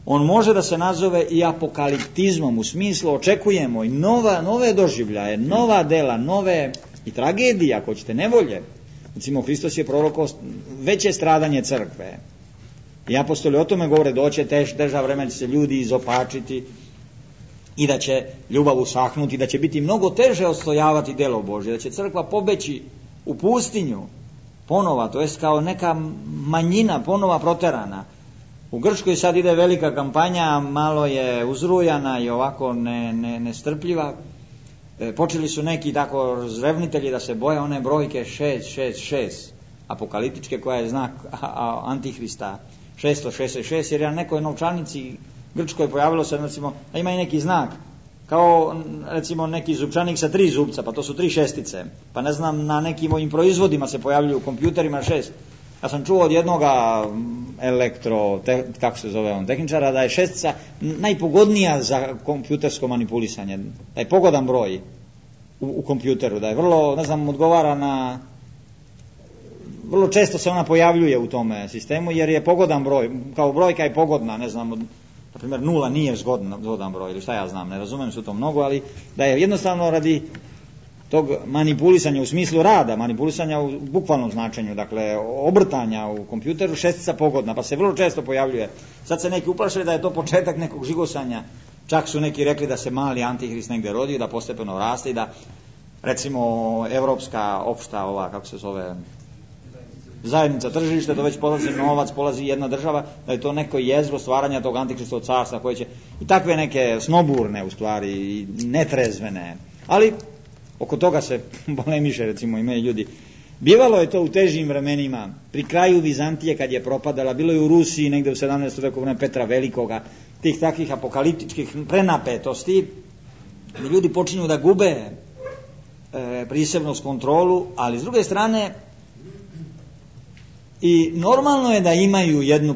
on može da se nazove i apokaliptizmom, u smislu očekujemo i nova, nove doživljaje, nova dela, nove i tragedije, ako ćete, nevolje. Recimo, Hristos je prorokao veće stradanje crkve. I apostoli o tome govore, doće tež, teža vremena, će se ljudi izopačiti i da će ljubav usahnuti, da će biti mnogo teže ostojavati delo Božje, da će crkva pobeći u pustinju ponova, to jest kao neka manjina ponova proterana. U Grčkoj sad ide velika kampanja, malo je uzrujana i ovako ne, ne, nestrpljiva. E, počeli su neki tako razrevnitelji da se boje one brojke šest šest šest, apokaliptičke, koja je znak a, a, Antihrista, šesto šezdeset šest, jer je na nekoj novčanici Grčkoj pojavilo se, recimo, da ima i neki znak, kao recimo neki zupčanik sa tri zupca, pa to su tri šestice, pa ne znam, na nekim ovim proizvodima se pojavljuju u kompjuterima šest. Ja sam čuo od jednoga elektro, te, kako se zove on, tehničara, da je šestica najpogodnija za kompjutersko manipulisanje, da je pogodan broj u, u kompjuteru, da je vrlo, ne znam, odgovara na, vrlo često se ona pojavljuje u tome sistemu, jer je pogodan broj, kao brojka je pogodna, ne znam, na primjer nula nije zgodan, zgodan broj, ili šta ja znam, ne razumijem se u to mnogo, ali da je jednostavno radi tog manipulisanja u smislu rada, manipulisanja u bukvalnom značenju, dakle obrtanja u kompjuteru, šestica pogodna, pa se vrlo često pojavljuje. Sad se neki uplašili da je to početak nekog žigosanja, čak su neki rekli da se mali antihrist negde rodio, da postepeno raste i da recimo evropska opšta ova, kako se zove, zajednica tržišta, to već polazi novac, polazi jedna država, da je to neko jezgro stvaranja tog antikristovog carstva koje će, i takve neke snoburne u stvari, i netrezvene, ali oko toga se polemiše, recimo, imaju ljudi. Bivalo je to u težim vremenima, pri kraju Vizantije kad je propadala, bilo je u Rusiji negde u sedamnaestom veku, vreme Petra Velikoga, tih takvih apokaliptičkih prenapetosti, gdje ljudi počinju da gube e, prisebnost, kontrolu, ali s druge strane i normalno je da imaju jednu,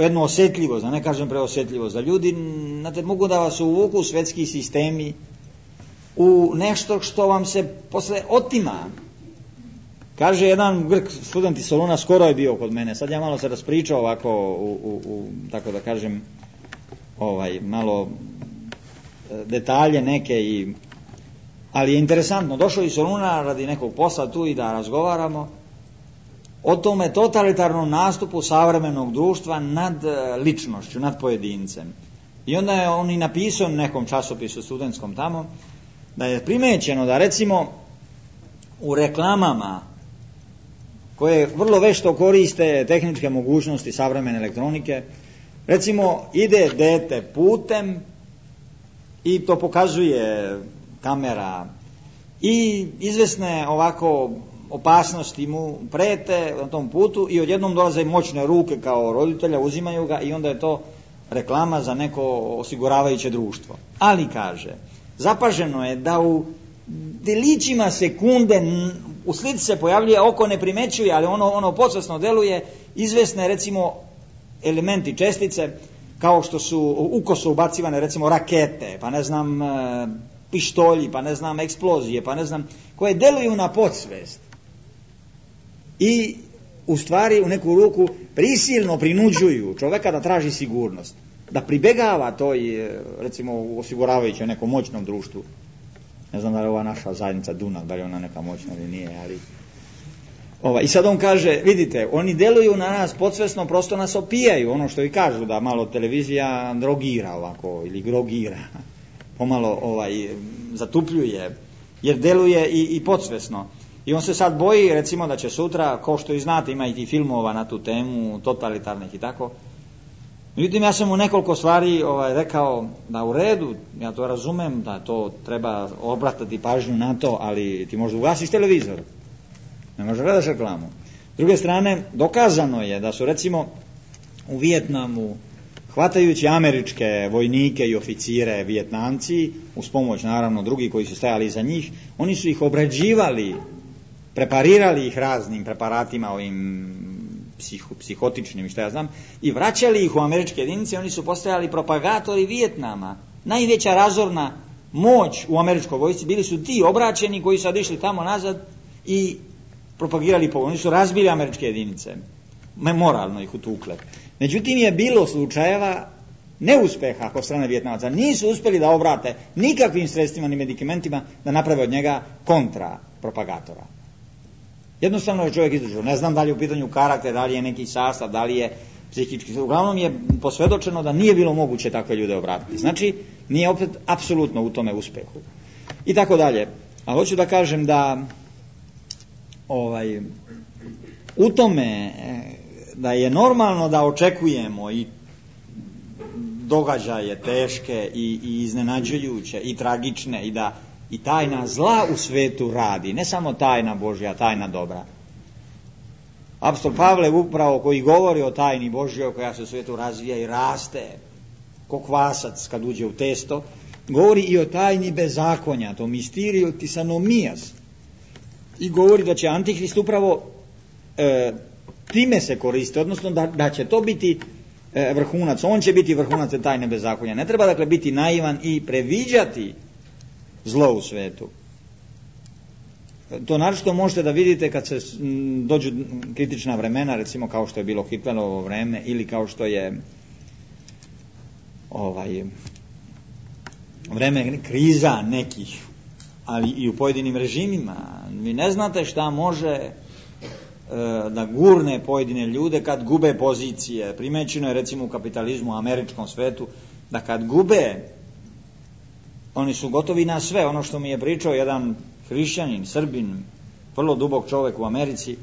jednu osjetljivost, da ne kažem preosjetljivost, da ljudi, znate, mogu da vas uvuku u svetski sistemi, u nešto što vam se posle otima. Kaže jedan Grk, student iz Soluna, skoro je bio kod mene, sad ja malo se raspričao ovako u, u, u tako da kažem, ovaj, malo detalje neke, i, ali je interesantno, došao iz Soluna radi nekog posla tu i da razgovaramo o tome totalitarnom nastupu savremenog društva nad ličnošću, nad pojedincem. I onda je on i napisao nekom časopisu studentskom tamo, da je primećeno da recimo u reklamama koje vrlo vešto koriste tehničke mogućnosti savremene elektronike, recimo ide dete putem i to pokazuje kamera i izvesne ovako opasnosti mu prete na tom putu i odjednom dolaze moćne ruke kao roditelja, uzimaju ga i onda je to reklama za neko osiguravajuće društvo. Ali kaže, zapaženo je da u delićima sekunde u slici se pojavljuje, oko ne primećuje, ali ono, ono podsvesno deluje, izvesne recimo elementi, čestice, kao što su ukoso ubacivane recimo rakete, pa ne znam pištolji, pa ne znam eksplozije, pa ne znam, koje deluju na podsvest i u stvari u neku ruku prisilno prinuđuju čoveka da traži sigurnost, da pribegava toj, recimo, u osiguravajućem nekom moćnom društvu. Ne znam da li je ova naša zajednica Dunav, da li je ona neka moćna ili nije, ali ova, i sad on kaže, vidite, oni deluju na nas podsvesno, prosto nas opijaju, ono što i kažu, da malo televizija drogira ovako, ili grogira, pomalo ovaj, zatupljuje, jer deluje i, i podsvesno. I on se sad boji, recimo, da će sutra, kao što i znate, ima i ti filmova na tu temu, totalitarnih i tako. Međutim, ja sam mu nekoliko stvari ovaj, rekao da u redu, ja to razumem, da to treba obratiti pažnju na to, ali ti možda ugasiš televizor, ne možeš gledaš reklamu. S druge strane, dokazano je da su recimo u Vijetnamu, hvatajući američke vojnike i oficire Vijetnamci, uz pomoć naravno drugih koji su stajali iza njih, oni su ih obrađivali, preparirali ih raznim preparatima, ovim psiho, psihotičnim i šta ja znam, i vraćali ih u američke jedinice. Oni su postajali propagatori Vijetnama. Najveća razorna moć u američkoj vojsci bili su ti obraćeni koji su sad išli tamo nazad i propagirali po. Oni su razbili američke jedinice, moralno ih utukle. Međutim je bilo slučajeva neuspeha kod strane Vijetnamaca. Nisu uspjeli da obrate nikakvim sredstvima ni medikamentima da naprave od njega kontra propagatora. Jednostavno je čovjek izdržao. Ne znam da li je u pitanju karakter, da li je neki sastav, da li je psihički. Uglavnom je posvjedočeno da nije bilo moguće takve ljude obratiti. Znači, nije opet apsolutno u tome uspehu. I tako dalje. A hoću da kažem da ovaj, u tome da je normalno da očekujemo i događaje teške i, i iznenađujuće i tragične i da i tajna zla u svetu radi, ne samo tajna Božja, tajna dobra. Apostol Pavle upravo koji govori o tajni Božjoj koja se u svijetu razvija i raste ko kvasac kad uđe u testo, govori i o tajni bezakonja, to misteriju tisanomijas, i govori da će Antihrist upravo e, time se koristi, odnosno da, da će to biti e, vrhunac, on će biti vrhunac te tajne bezakonja. Ne treba dakle biti naivan i previđati zlo u svetu. To naročito možete da vidite kad se dođu kritična vremena, recimo kao što je bilo Hitlerovo vreme ili kao što je ovaj vreme kriza nekih, ali i u pojedinim režimima. Vi ne znate šta može e, da gurne pojedine ljude kad gube pozicije. Primećeno je recimo u kapitalizmu, u američkom svetu, da kad gube, oni su gotovi na sve. Ono što mi je pričao jedan hrišćanin, Srbin, vrlo dubok čovjek u Americi,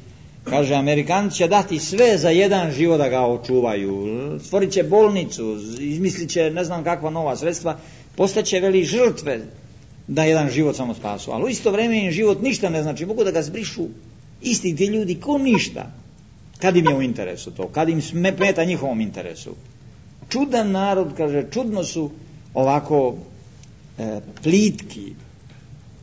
kaže, Amerikanci će dati sve za jedan život da ga očuvaju, stvorit će bolnicu, izmislit će ne znam kakva nova sredstva, postaće veli žrtve da jedan život samo spasu, ali u isto vrijeme im život ništa ne znači, mogu da ga zbrišu isti ti ljudi ko ništa, kad im je u interesu to, kad im smeta njihovom interesu. Čudan narod, kaže, čudno su ovako e, plitki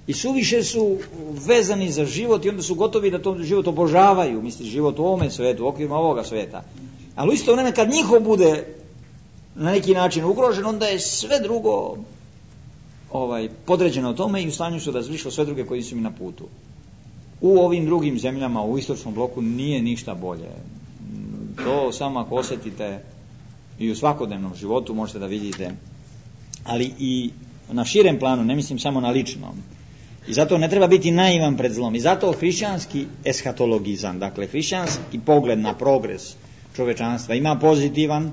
i suviše su vezani za život i onda su gotovi da to život obožavaju, misli život u ovome svetu, u okvirima ovoga sveta. Ali u isto vrijeme kad njihov bude na neki način ugrožen, onda je sve drugo ovaj, podređeno tome i u stanju su da zbrišu sve druge koji su mi na putu. U ovim drugim zemljama, u istočnom bloku, nije ništa bolje. To samo ako osjetite i u svakodnevnom životu možete da vidite, ali i na širem planu, ne mislim samo na ličnom. I zato ne treba biti naivan pred zlom. I zato hrišćanski eshatologizam, dakle hrišćanski pogled na progres čovečanstva ima pozitivan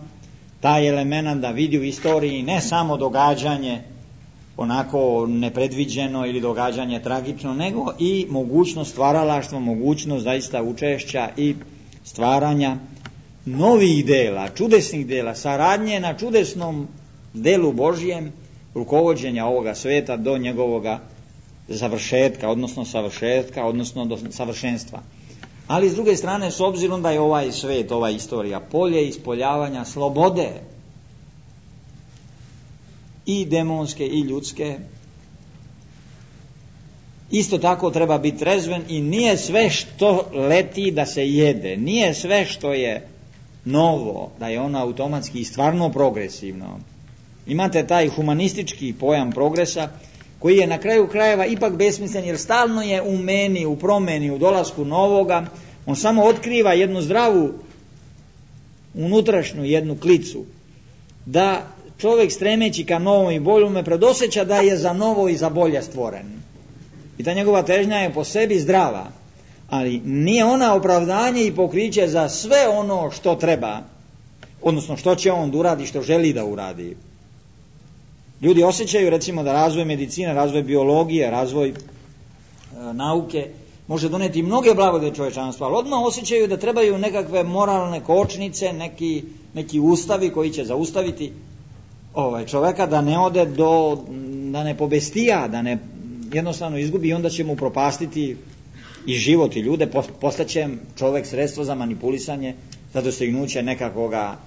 taj element da vidi u istoriji ne samo događanje onako nepredviđeno ili događanje tragično, nego i mogućnost stvaralaštva, mogućnost zaista učešća i stvaranja novih dela, čudesnih dela, saradnje na čudesnom delu Božjem, rukovođenja ovoga sveta do njegovoga završetka, odnosno savršetka, odnosno do savršenstva. Ali s druge strane, s obzirom da je ovaj svet, ova istorija, polje ispoljavanja slobode i demonske i ljudske, isto tako treba biti trezven i nije sve što leti da se jede, nije sve što je novo, da je ono automatski i stvarno progresivno. Imate taj humanistički pojam progresa koji je na kraju krajeva ipak besmislen, jer stalno je u meni, u promeni, u dolasku novoga, on samo otkriva jednu zdravu unutrašnju jednu klicu, da čovjek stremeći ka novom i boljome predosjeća da je za novo i za bolje stvoren. I ta njegova težnja je po sebi zdrava, ali nije ona opravdanje i pokriće za sve ono što treba, odnosno što će on da uradi, što želi da uradi. Ljudi osjećaju recimo da razvoj medicine, razvoj biologije, razvoj e, nauke može doneti mnoge blagodati čovječanstva, ali odmah osjećaju da trebaju nekakve moralne kočnice, neki, neki ustavi koji će zaustaviti ovaj, čovjeka da ne ode do, da ne pobestija, da ne jednostavno izgubi i onda će mu propastiti i život i ljude, postaće čovjek sredstvo za manipulisanje, za dostignuće nekakvoga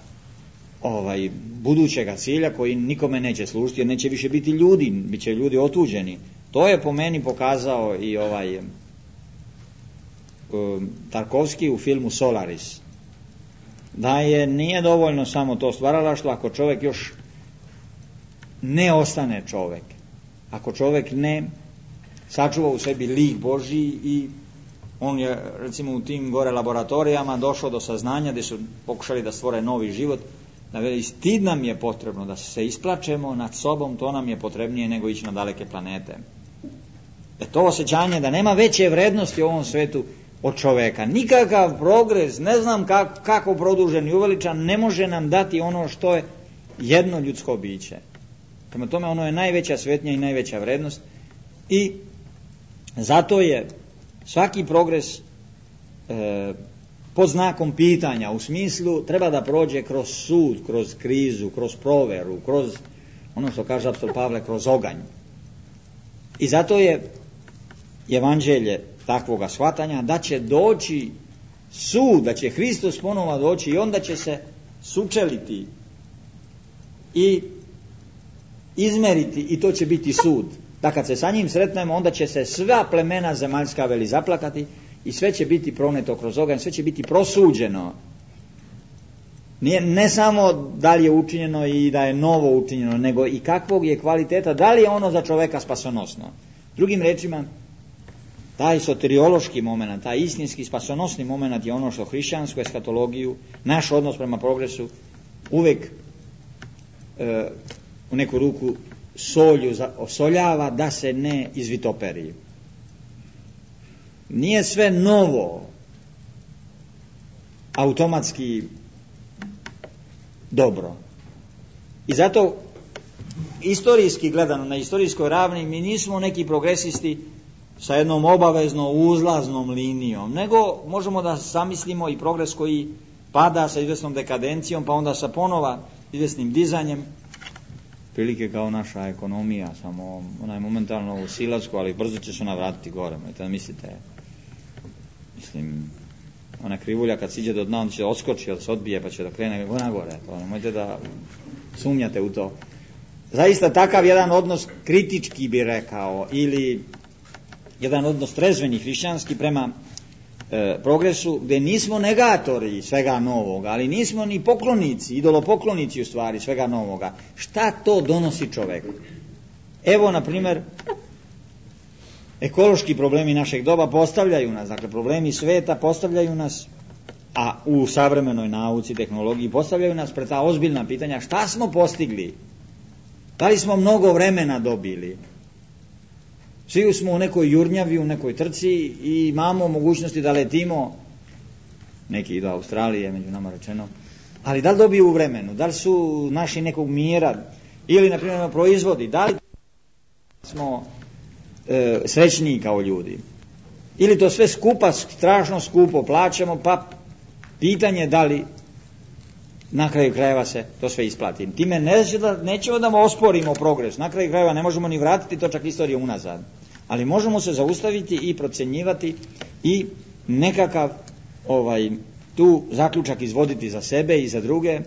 ovaj, budućega cilja koji nikome neće služiti, jer neće više biti ljudi, bit će ljudi otuđeni. To je po meni pokazao i ovaj um, Tarkovski u filmu Solaris. Da je nije dovoljno samo to stvaralaštvo ako čovjek još ne ostane čovjek. Ako čovjek ne sačuva u sebi lik Božji i on je recimo u tim gore laboratorijama došao do saznanja gdje su pokušali da stvore novi život, Da veli, stid nam je potrebno da se isplačemo nad sobom, to nam je potrebnije nego ići na daleke planete. E to osjećanje da nema veće vrednosti u ovom svetu od čoveka. Nikakav progres, ne znam kako, kako produžen i uveličan, ne može nam dati ono što je jedno ljudsko biće. Prema tome, ono je najveća svetnja i najveća vrednost i zato je svaki progres e, pod znakom pitanja, u smislu treba da prođe kroz sud, kroz krizu, kroz proveru, kroz ono što kaže apostol Pavle, kroz oganj. I zato je evanđelje takvoga shvatanja da će doći sud, da će Hristos ponovo doći i onda će se sučeliti i izmeriti i to će biti sud. Da kad se sa njim sretnemo, onda će se sva plemena zemaljska veli zaplakati i sve će biti proneto kroz oganj, sve će biti prosuđeno. Nije, ne samo da li je učinjeno i da je novo učinjeno, nego i kakvog je kvaliteta, da li je ono za čoveka spasonosno. Drugim rečima, taj soteriološki moment, taj istinski spasonosni moment je ono što hrišćansku eskatologiju, naš odnos prema progresu uvek e, u neku ruku solju osoljava da se ne izvitoperi. Nije sve novo automatski dobro. I zato istorijski gledano, na istorijskoj ravni, mi nismo neki progresisti sa jednom obavezno uzlaznom linijom, nego možemo da zamislimo i progres koji pada sa izvesnom dekadencijom, pa onda sa ponova izvesnim dizanjem, prilike kao naša ekonomija, samo ona je momentalno u silasku, ali brzo će se ona vratiti gore. Možete da mislite, mislim, ona krivulja kad siđe do dna, on će odskoči, da se odbije, pa će da krene na gore. To nemojte da sumnjate u to. Zaista takav jedan odnos kritički bi rekao, ili jedan odnos trezveni hrišćanski prema e, progresu, gdje nismo negatori svega novoga, ali nismo ni poklonici, idolopoklonici u stvari svega novoga. Šta to donosi čoveku? Evo, na primjer, ekološki problemi našeg doba postavljaju nas, dakle problemi sveta postavljaju nas, a u savremenoj nauci, tehnologiji postavljaju nas pred ta ozbiljna pitanja. Šta smo postigli? Da li smo mnogo vremena dobili? Svi smo u nekoj jurnjavi, u nekoj trci i imamo mogućnosti da letimo, neki idu Australije, među nama rečeno, ali da li dobiju u vremenu, da li su naši nekog mira, ili na primjer proizvodi, da li smo e, srećniji kao ljudi, ili to sve skupa, strašno skupo plaćamo, pa pitanje da li na kraju krajeva se to sve isplati. Time neće da, nećemo da osporimo progres, na kraju krajeva ne možemo ni vratiti to čak istorije unazad, ali možemo se zaustaviti i procenjivati i nekakav ovaj, tu zaključak izvoditi za sebe i za druge.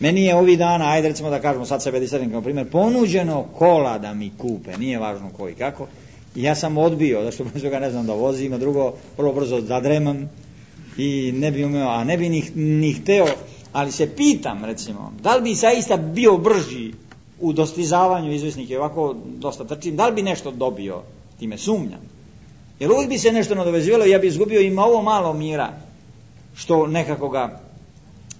Meni je ovih dana, ajde recimo da kažemo sad sebe disadim kao primjer, ponuđeno kola da mi kupe, nije važno koji kako, i ja sam odbio, zašto ga ne znam da vozim, a drugo prvo brzo zadremam i ne bi umeo, a ne bi ni, ni hteo, ali se pitam recimo, da li bi zaista bio brži u dostizavanju izvesnih i ovako dosta trčim, da li bi nešto dobio, time sumnjam. Jer uvijek bi se nešto nadovezivalo i ja bi izgubio ima ovo malo mira što nekako ga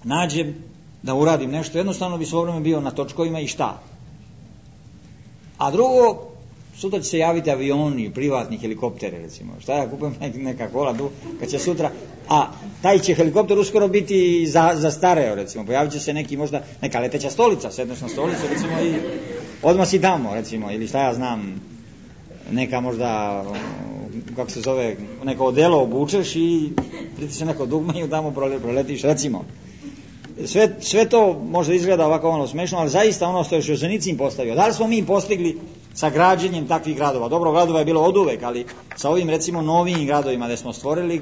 nađem da uradim nešto, jednostavno bi svo vreme bio na točkovima i šta. A drugo, sutra će se javiti avioni, privatni helikoptere recimo, šta ja kupujem neka kola tu, kad će sutra, a taj će helikopter uskoro biti za, za stareo recimo, pojavit će se neki možda, neka leteća stolica, sedneš na stolicu recimo i odmah si tamo recimo, ili šta ja znam, neka možda, kako se zove, neko odelo obučeš i pritisne neko dugme i tamo proletiš recimo. Sve, sve to možda izgleda ovako ono smešno, ali zaista ono što je Žozenicin postavio, da li smo mi postigli sa građenjem takvih gradova? Dobro, gradova je bilo oduvek, ali sa ovim recimo novim gradovima gdje smo stvorili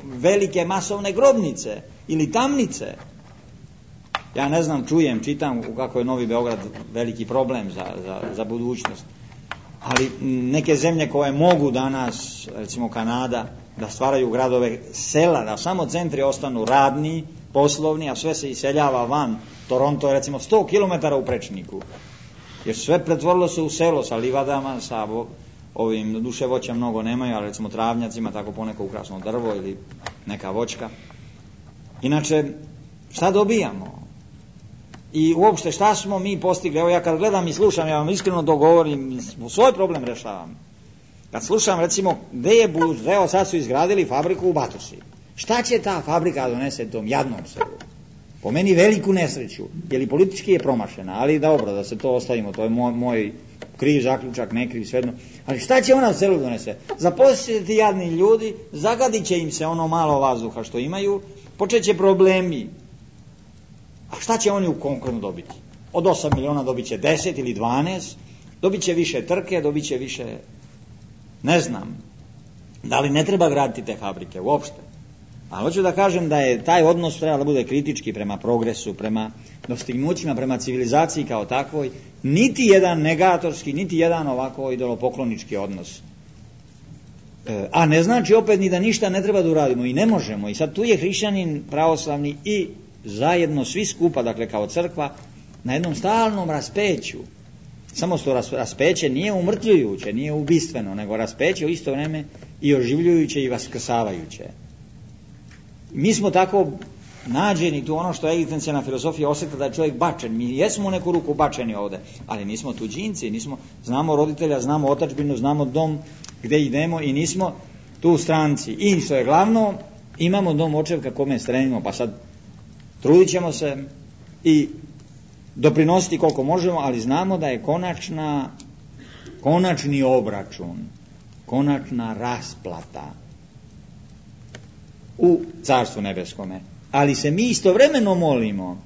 velike masovne grobnice ili tamnice. Ja ne znam, čujem, čitam kako je Novi Beograd veliki problem za, za, za budućnost. Ali neke zemlje koje mogu danas, recimo Kanada, da stvaraju gradove, sela, da samo centri ostanu radni, poslovni, a sve se iseljava van. Toronto je recimo sto kilometara u prečniku. Jer sve pretvorilo se u selo sa livadama, sa ovim, duše voća mnogo nemaju, ali recimo travnjacima, tako poneko ukrasno drvo ili neka voćka. Inače, Šta dobijamo? I uopšte šta smo mi postigli? Evo ja kad gledam i slušam, ja vam iskreno dogovorim, svoj problem rešavam. Kad slušam recimo gde je budućnost, evo sad su izgradili fabriku u Batosi. Šta će ta fabrika donese tom jadnom selu? Po meni veliku nesreću, jer i politički je promašena, ali dobro, da se to ostavimo, to je moj, moj kriv zaključak, ne kriv, svejedno. Ali šta će ona u selu donese? Zaposlit će ti jadni ljudi, zagadit će im se ono malo vazduha što imaju, počet će problemi. A šta će oni u konkretno dobiti? Od osam miliona dobit će deset ili dvanaest, dobit će više trke, dobit će više, ne znam, da li ne treba graditi te fabrike uopšte. Ali hoću da kažem da je taj odnos treba da bude kritički prema progresu, prema dostignućima, prema civilizaciji kao takvoj, niti jedan negatorski, niti jedan ovako idolopoklonički odnos. E, a ne znači opet ni da ništa ne treba da uradimo i ne možemo. I sad tu je hrišćanin pravoslavni i zajedno svi skupa, dakle kao crkva, na jednom stalnom raspeću. Samo što raspeće nije umrtljujuće, nije ubistveno, nego raspeće u isto vreme i oživljujuće i vaskrsavajuće. Mi smo tako nađeni tu, ono što je egzistencijalna filozofija osjeta da je čovjek bačen. Mi jesmo u neku ruku bačeni ovde, ali nismo tuđinci, nismo, znamo roditelja, znamo otadžbinu, znamo dom gde idemo i nismo tu stranci. I što je glavno, imamo dom očevka kome stremimo, pa sad trudit ćemo se i doprinositi koliko možemo, ali znamo da je konačna, konačni obračun, konačna rasplata u Carstvu nebeskome. Ali se mi istovremeno molimo,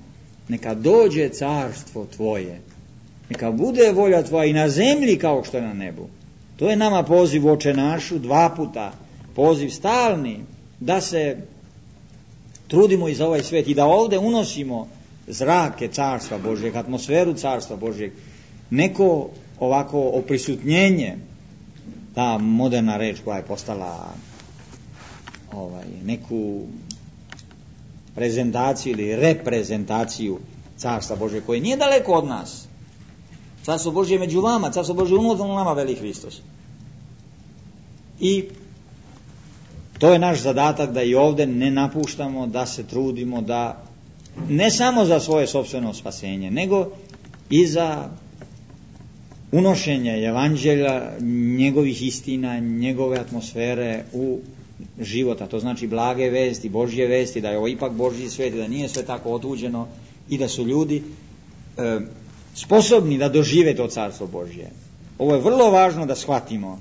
neka dođe carstvo tvoje, neka bude volja tvoja i na zemlji kao što je na nebu. To je nama poziv u Oče našu, dva puta, poziv stalni, da se trudimo i za ovaj svet i da ovde unosimo zrake Carstva Božjeg, atmosferu Carstva Božjeg, neko ovako oprisutnjenje, ta moderna reč koja je postala ovaj, neku prezentaciju ili reprezentaciju Carstva Božjeg, koje nije daleko od nas. Carstvo Božje je među vama, Carstvo Božje je unutar nama, veli Hristos. I to je naš zadatak da i ovde ne napuštamo, da se trudimo, da ne samo za svoje sopstveno spasenje, nego i za unošenje evanđelja, njegovih istina, njegove atmosfere u života. To znači blage vesti, Božje vesti, da je ovo ipak Božji svet, da nije sve tako otuđeno i da su ljudi e, sposobni da dožive to Carstvo Božje. Ovo je vrlo važno da shvatimo.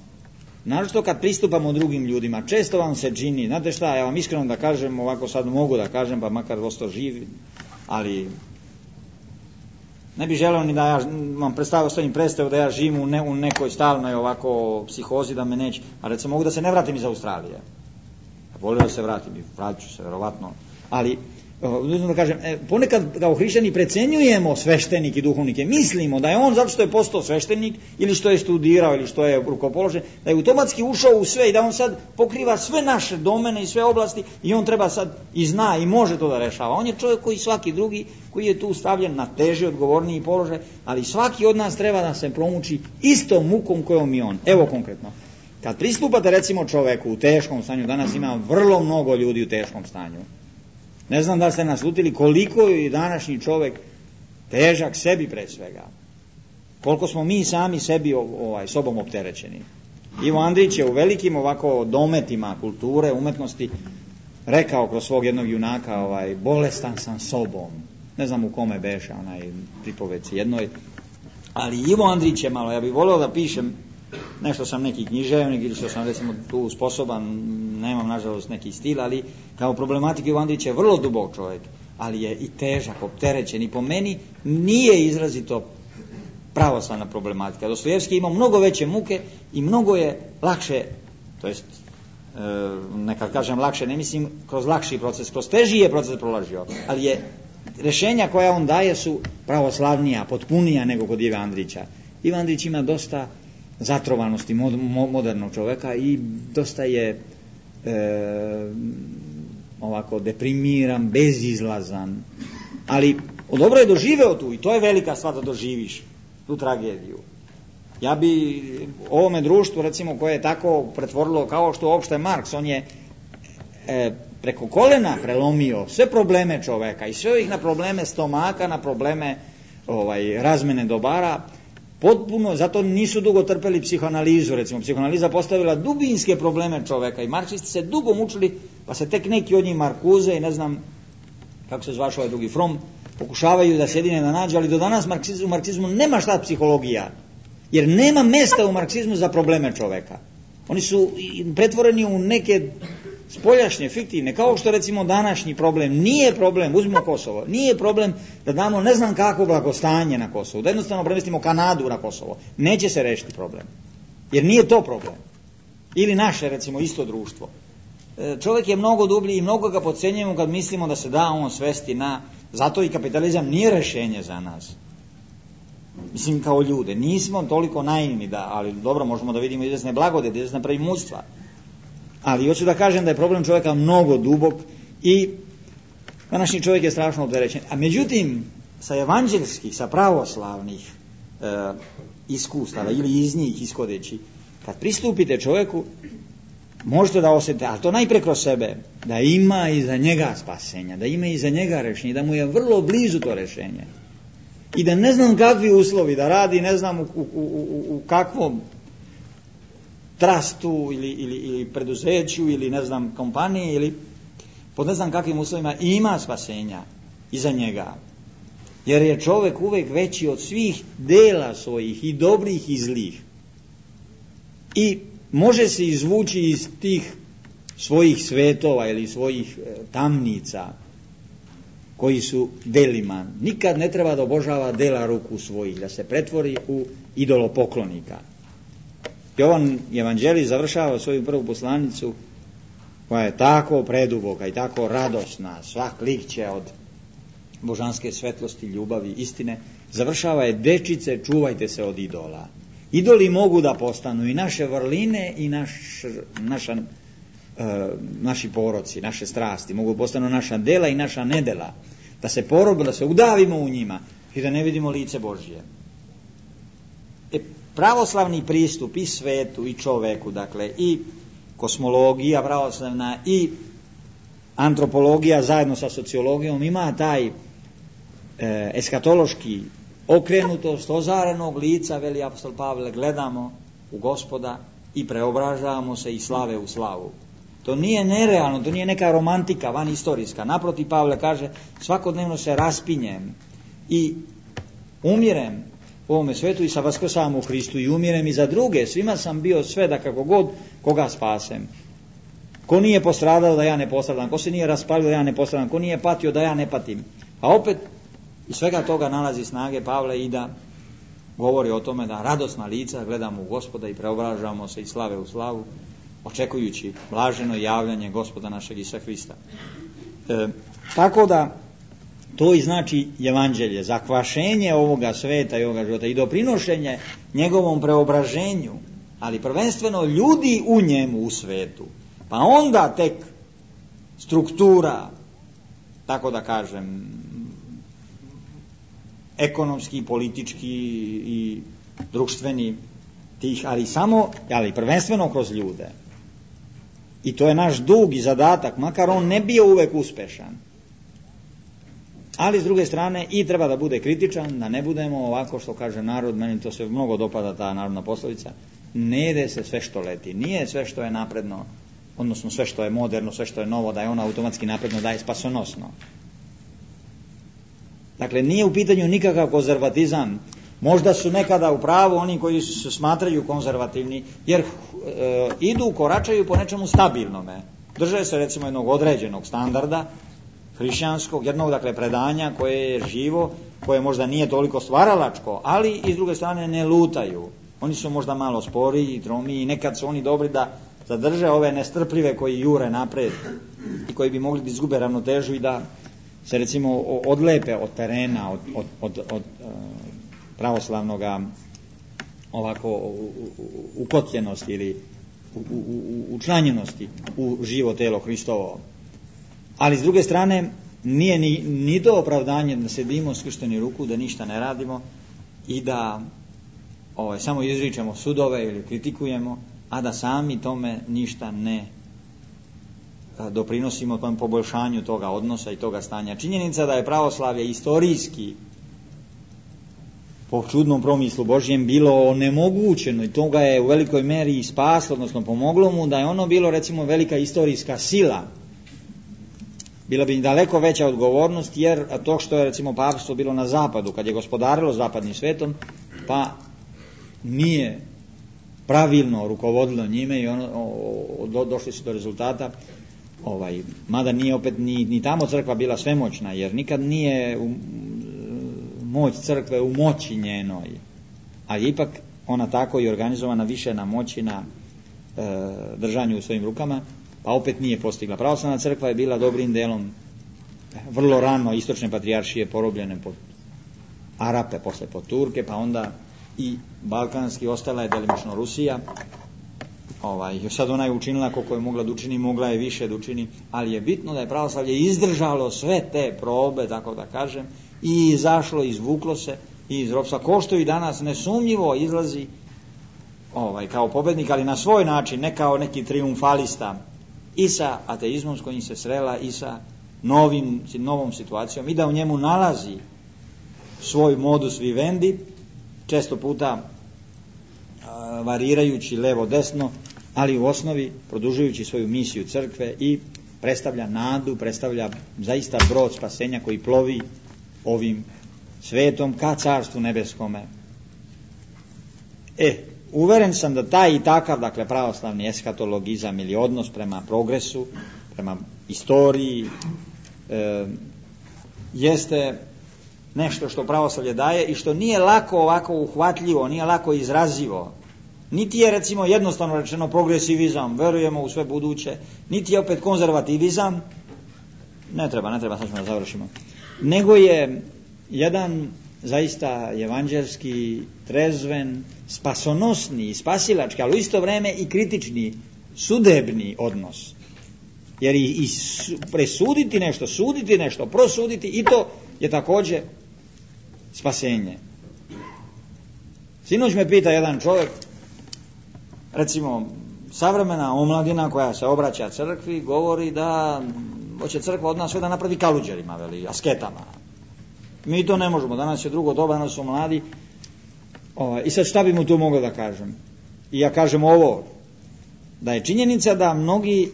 Naročito kad pristupamo drugim ljudima, često vam se čini, znate šta, ja vam iskreno da kažem, ovako sad mogu da kažem, pa makar ostao živ, ali ne bih želeo ni da ja vam predstavio, ostavim predstavu da ja živim u, ne, u nekoj stalnoj ovako psihozi, da me neće, a recimo mogu da se ne vratim iz Australije. Volio da se vratim, vratit ću se, verovatno, ali da kažem, ponekad kao hrišćani precenjujemo sveštenike i duhovnike, mislimo da je on zato što je postao sveštenik ili što je studirao ili što je rukopoložen, da je automatski ušao u sve i da on sad pokriva sve naše domene i sve oblasti i on treba sad i zna i može to da rešava. On je čovjek koji svaki drugi, koji je tu stavljen na teži, odgovorniji položaj, ali svaki od nas treba da se promuči istom mukom kojom i on. Evo konkretno, kad pristupate recimo čoveku u teškom stanju, danas ima vrlo mnogo ljudi u teškom stanju. Ne znam da ste naslutili koliko je današnji čovjek težak sebi pre svega. Koliko smo mi sami sebi ovaj, sobom opterećeni. Ivo Andrić je u velikim ovako dometima kulture, umetnosti rekao kroz svog jednog junaka, ovaj, bolestan sam sobom. Ne znam u kome beše onaj pripoveci jednoj. Ali Ivo Andrić je malo, ja bih volio da pišem nešto, sam neki književnik ili što sam recimo tu sposoban, nemam nažalost neki stil, ali kao problematik Ivo Andrić je vrlo dubok čovjek, ali je i težak, opterećen i po meni nije izrazito pravoslavna problematika. Dostojevski ima mnogo veće muke i mnogo je lakše, to jest e, nekad kažem lakše, ne mislim kroz lakši proces, kroz teži je proces prolažio, ali je rešenja koja on daje su pravoslavnija, potpunija nego kod Ive Andrića. Ivan Andrić ima dosta zatrovanosti modernog čovjeka i dosta je e, ovako deprimiran, bezizlazan, ali dobro je doživeo tu i to je velika stvar da doživiš tu tragediju. Ja bi ovome društvu recimo koje je tako pretvorilo kao što uopšte Marks, on je e, preko kolena prelomio sve probleme čoveka i sve ih na probleme stomaka, na probleme ovaj, razmene dobara, potpuno, zato nisu dugo trpeli psihoanalizu, recimo, psihoanaliza postavila dubinske probleme čoveka i marksisti se dugo mučili, pa se tek neki od njih Markuze i ne znam kako se zvaš ovaj drugi Fromm, pokušavaju da se jedine da nađu, ali do danas marksizmu, u marksizmu nema šta psihologija, jer nema mesta u marksizmu za probleme čoveka. Oni su pretvoreni u neke spoljašnje, fiktivne, kao što recimo današnji problem nije problem, uzmimo Kosovo, nije problem da damo ne znam kakvo blagostanje na Kosovo, da jednostavno premestimo Kanadu na Kosovo, neće se rešiti problem, jer nije to problem. Ili naše recimo isto društvo. Čovjek je mnogo dublji i mnogo ga podcenjujemo kad mislimo da se da on svesti na, zato i kapitalizam nije rešenje za nas. Mislim kao ljude, nismo toliko naivni da, ali dobro, možemo da vidimo izvesne blagodeti, izvesne preimutstva. Ali hoću da kažem da je problem čovjeka mnogo dubok i današnji čovjek je strašno opterećen. A međutim, sa evanđelskih, sa pravoslavnih e, iskustava ili iz njih iskodeći, kad pristupite čovjeku, možete da osjetite, ali to najpre kroz sebe, da ima iza njega spasenja, da ima iza njega rešenje, da mu je vrlo blizu to rešenje. I da ne znam kakvi uslovi, da radi ne znam u, u, u, u kakvom trustu ili, ili, ili preduzeću ili ne znam kompaniji ili pod ne znam kakvim uslovima ima spasenja iza njega. Jer je čovjek uvek veći od svih dela svojih i dobrih i zlih. I može se izvući iz tih svojih svetova ili svojih tamnica koji su delima. Nikad ne treba da obožava dela ruku svojih, da se pretvori u idolopoklonika. Jovan Evanđelij završava svoju prvu poslanicu koja je tako preduboka i tako radosna, svak lik će od božanske svetlosti, ljubavi, istine, završava je: dečice, čuvajte se od idola. Idoli mogu da postanu i naše vrline i naš, naša, e, naši poroci, naše strasti, mogu postanu naša dela i naša nedela, da se porobimo, da se udavimo u njima i da ne vidimo lice Božje. E, pravoslavni pristup i svetu i čoveku, dakle i kosmologija pravoslavna i antropologija zajedno sa sociologijom ima taj e, eskatološki okrenutost ozarenog lica, veli apostol Pavle, gledamo u Gospoda i preobražavamo se iz slave u slavu. To nije nerealno, to nije neka romantika van istorijska. Naprotiv, Pavle kaže, svakodnevno se raspinjem i umirem u ovome svetu i sa vaskrsavam u Hristu i umirem i za druge. Svima sam bio sve da kako god koga spasem. Ko nije postradao da ja ne postradam, ko se nije raspalio da ja ne postradam, ko nije patio da ja ne patim. A opet iz svega toga nalazi snage Pavle i da govori o tome da radosna lica gledamo u Gospoda i preobražavamo se iz slave u slavu, očekujući blaženo javljanje Gospoda našeg Isusa Hrista. E, tako da to i znači evanđelje, zakvašenje ovoga sveta i ovoga života i doprinošenje njegovom preobraženju, ali prvenstveno ljudi u njemu, u svetu. Pa onda tek struktura, tako da kažem, ekonomski, politički i društveni tih, ali samo, ali prvenstveno kroz ljude. I to je naš dug i zadatak, makar on ne bio uvek uspešan. Ali s druge strane i treba da bude kritičan, da ne budemo ovako što kaže narod, meni to se mnogo dopada ta narodna poslovica, ne jede se sve što leti, nije sve što je napredno, odnosno sve što je moderno, sve što je novo, da je ono automatski napredno, da je spasonosno. Dakle, nije u pitanju nikakav konzervatizam. Možda su nekada u pravu oni koji se smatraju konzervativni, jer e, idu, koračaju po nečemu stabilnome. Drže se recimo jednog određenog standarda, hrišćanskog, jednog dakle predanja koje je živo, koje možda nije toliko stvaralačko, ali i s druge strane ne lutaju. Oni su možda malo sporiji i tromiji i nekad su oni dobri da zadrže ove nestrpljive koji jure napred i koji bi mogli da izgube ravnotežu i da se recimo odlepe od terena, od, od, od, od pravoslavnoga ovako ukotljenosti ili učlanjenosti u živo telo Hristovo. Ali s druge strane nije ni, ni to opravdanje da sedimo skršteni ruku, da ništa ne radimo i da ovaj, samo izričemo sudove ili kritikujemo, a da sami tome ništa ne e, doprinosimo tom poboljšanju toga odnosa i toga stanja. Činjenica da je pravoslavlje istorijski po čudnom promislu Božjem bilo onemogućeno i to ga je u velikoj meri i spaslo, odnosno pomoglo mu, da je ono bilo recimo velika istorijska sila. Bila bi daleko veća odgovornost, jer to što je recimo papstvo bilo na zapadu, kad je gospodarilo zapadnim svetom, pa nije pravilno rukovodilo njime i ono, o, do, došli su do rezultata, ovaj, mada nije opet ni, ni tamo crkva bila svemoćna, jer nikad nije u, moć crkve u moći njenoj, ali ipak ona tako i organizovana više na moći, na e, držanju u svojim rukama, pa opet nije postigla. Pravoslavna crkva je bila dobrim delom vrlo rano istočne patrijaršije porobljene pod Arape, posle pod Turke, pa onda i balkanski, ostala je delimično Rusija. Ovaj, sad ona je učinila koliko je mogla da učini, mogla je više da učini, ali je bitno da je pravoslavlje izdržalo sve te probe, tako da kažem, i izašlo, izvuklo se iz ropstva, ko što i danas nesumnjivo izlazi ovaj, kao pobednik, ali na svoj način, ne kao neki triumfalista, i sa ateizmom s kojim se srela, i sa novim, novom situacijom, i da u njemu nalazi svoj modus vivendi, često puta a, varirajući levo-desno, ali u osnovi produžujući svoju misiju crkve i predstavlja nadu, predstavlja zaista brod spasenja koji plovi ovim svetom ka carstvu nebeskome. E, uveren sam da taj i takav, dakle, pravoslavni eskatologizam ili odnos prema progresu, prema istoriji, e, jeste nešto što pravoslavlje daje i što nije lako ovako uhvatljivo, nije lako izrazivo. Niti je, recimo, jednostavno rečeno progresivizam, verujemo u sve buduće, niti je opet konzervativizam, ne treba, ne treba, sad ćemo da završimo, nego je jedan zaista evanđelski, trezven, spasonosni, spasilački, ali u isto vreme i kritični, sudebni odnos. Jer i, i presuditi nešto, suditi nešto, prosuditi, i to je također spasenje. Sinoć me pita jedan čovjek, recimo, savremena omladina koja se obraća crkvi govori da hoće crkva od nas sve da napravi kaluđerima, veli, asketama. Mi to ne možemo, danas je drugo doba, danas su mladi. O, I sad šta bi mu tu mogao da kažem? I ja kažem ovo, da je činjenica da mnogi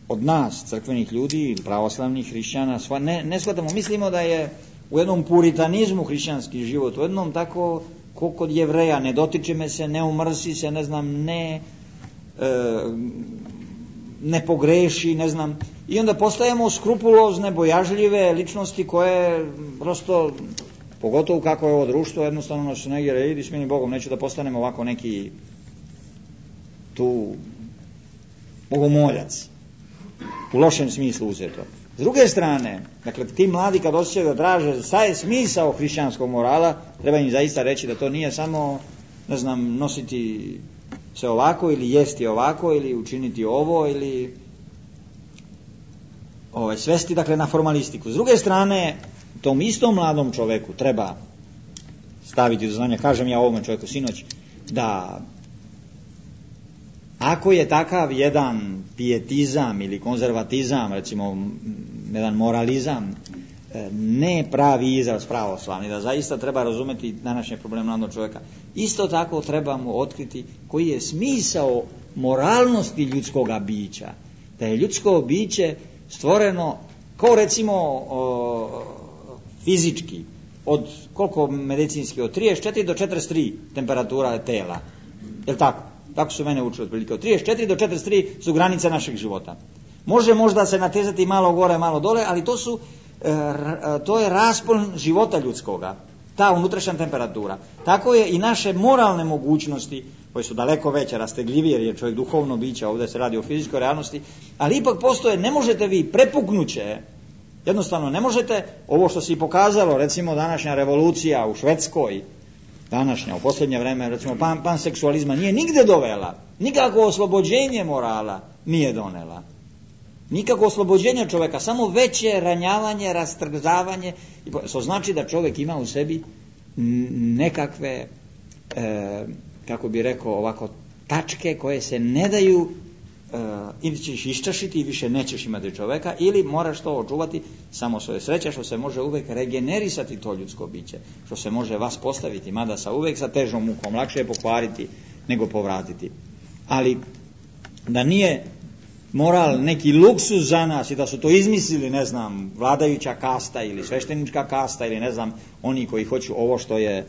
od nas, crkvenih ljudi, pravoslavnih hrišćana, ne, ne shvatamo, mislimo da je u jednom puritanizmu hrišćanski život, u jednom tako, ko kod Jevreja, ne dotiče me se, ne umrsi se, ne znam, ne e, ne pogreši, ne znam, i onda postajemo skrupulozne, bojažljive ličnosti koje prosto, pogotovo kako je ovo društvo, jednostavno nas negdje, idi s meni Bogom, neću da postanemo ovako neki tu bogomoljac, u lošem smislu uzeto. S druge strane, dakle, ti mladi kad osjećaju da traže šta je smisao hrišćanskog morala, treba im zaista reći da to nije samo, ne znam, nositi se ovako ili jesti ovako ili učiniti ovo ili ovaj, svesti, dakle, na formalistiku. S druge strane, tom istom mladom čoveku treba staviti do znanja, kažem ja ovome čovjeku sinoć, da ako je takav jedan pijetizam ili konzervatizam, recimo jedan moralizam, ne pravi izraz pravoslavni, da zaista treba razumeti današnje probleme mladog čovjeka, isto tako treba mu otkriti koji je smisao moralnosti ljudskoga bića. Da je ljudsko biće stvoreno kao recimo o, fizički, od koliko medicinski, od trideset četiri do četrdeset tri temperatura tela. Je li tako? Tako su mene učili otprilike. Od trideset četiri do četrdeset tri su granice našeg života. Može možda se natezati malo gore, malo dole, ali to su to je raspon života ljudskoga, ta unutrašnja temperatura. Tako je i naše moralne mogućnosti, koje su daleko veće, rastegljivije, jer je čovjek duhovno biće, ovdje se radi o fizičkoj realnosti, ali ipak postoje, ne možete vi prepuknuće, jednostavno ne možete, ovo što se i pokazalo, recimo današnja revolucija u Švedskoj, današnja, u posljednje vreme, recimo pan, panseksualizma nije nigde dovela, nikako oslobođenje morala nije donela. Nikako oslobođenje čovjeka, samo veće ranjavanje, rastrzavanje, što znači da čovjek ima u sebi nekakve, e, kako bi rekao ovako, tačke koje se ne daju ili ćeš iščašiti i više nećeš imati čoveka, ili moraš to očuvati samo svoje sreće, što se može uvek regenerisati to ljudsko biće, što se može vas postaviti, mada sa uvek sa težom mukom, lakše je pokvariti nego povratiti. Ali da nije moral neki luksuz za nas i da su to izmislili, ne znam, vladajuća kasta ili sveštenička kasta ili ne znam, oni koji hoću ovo što je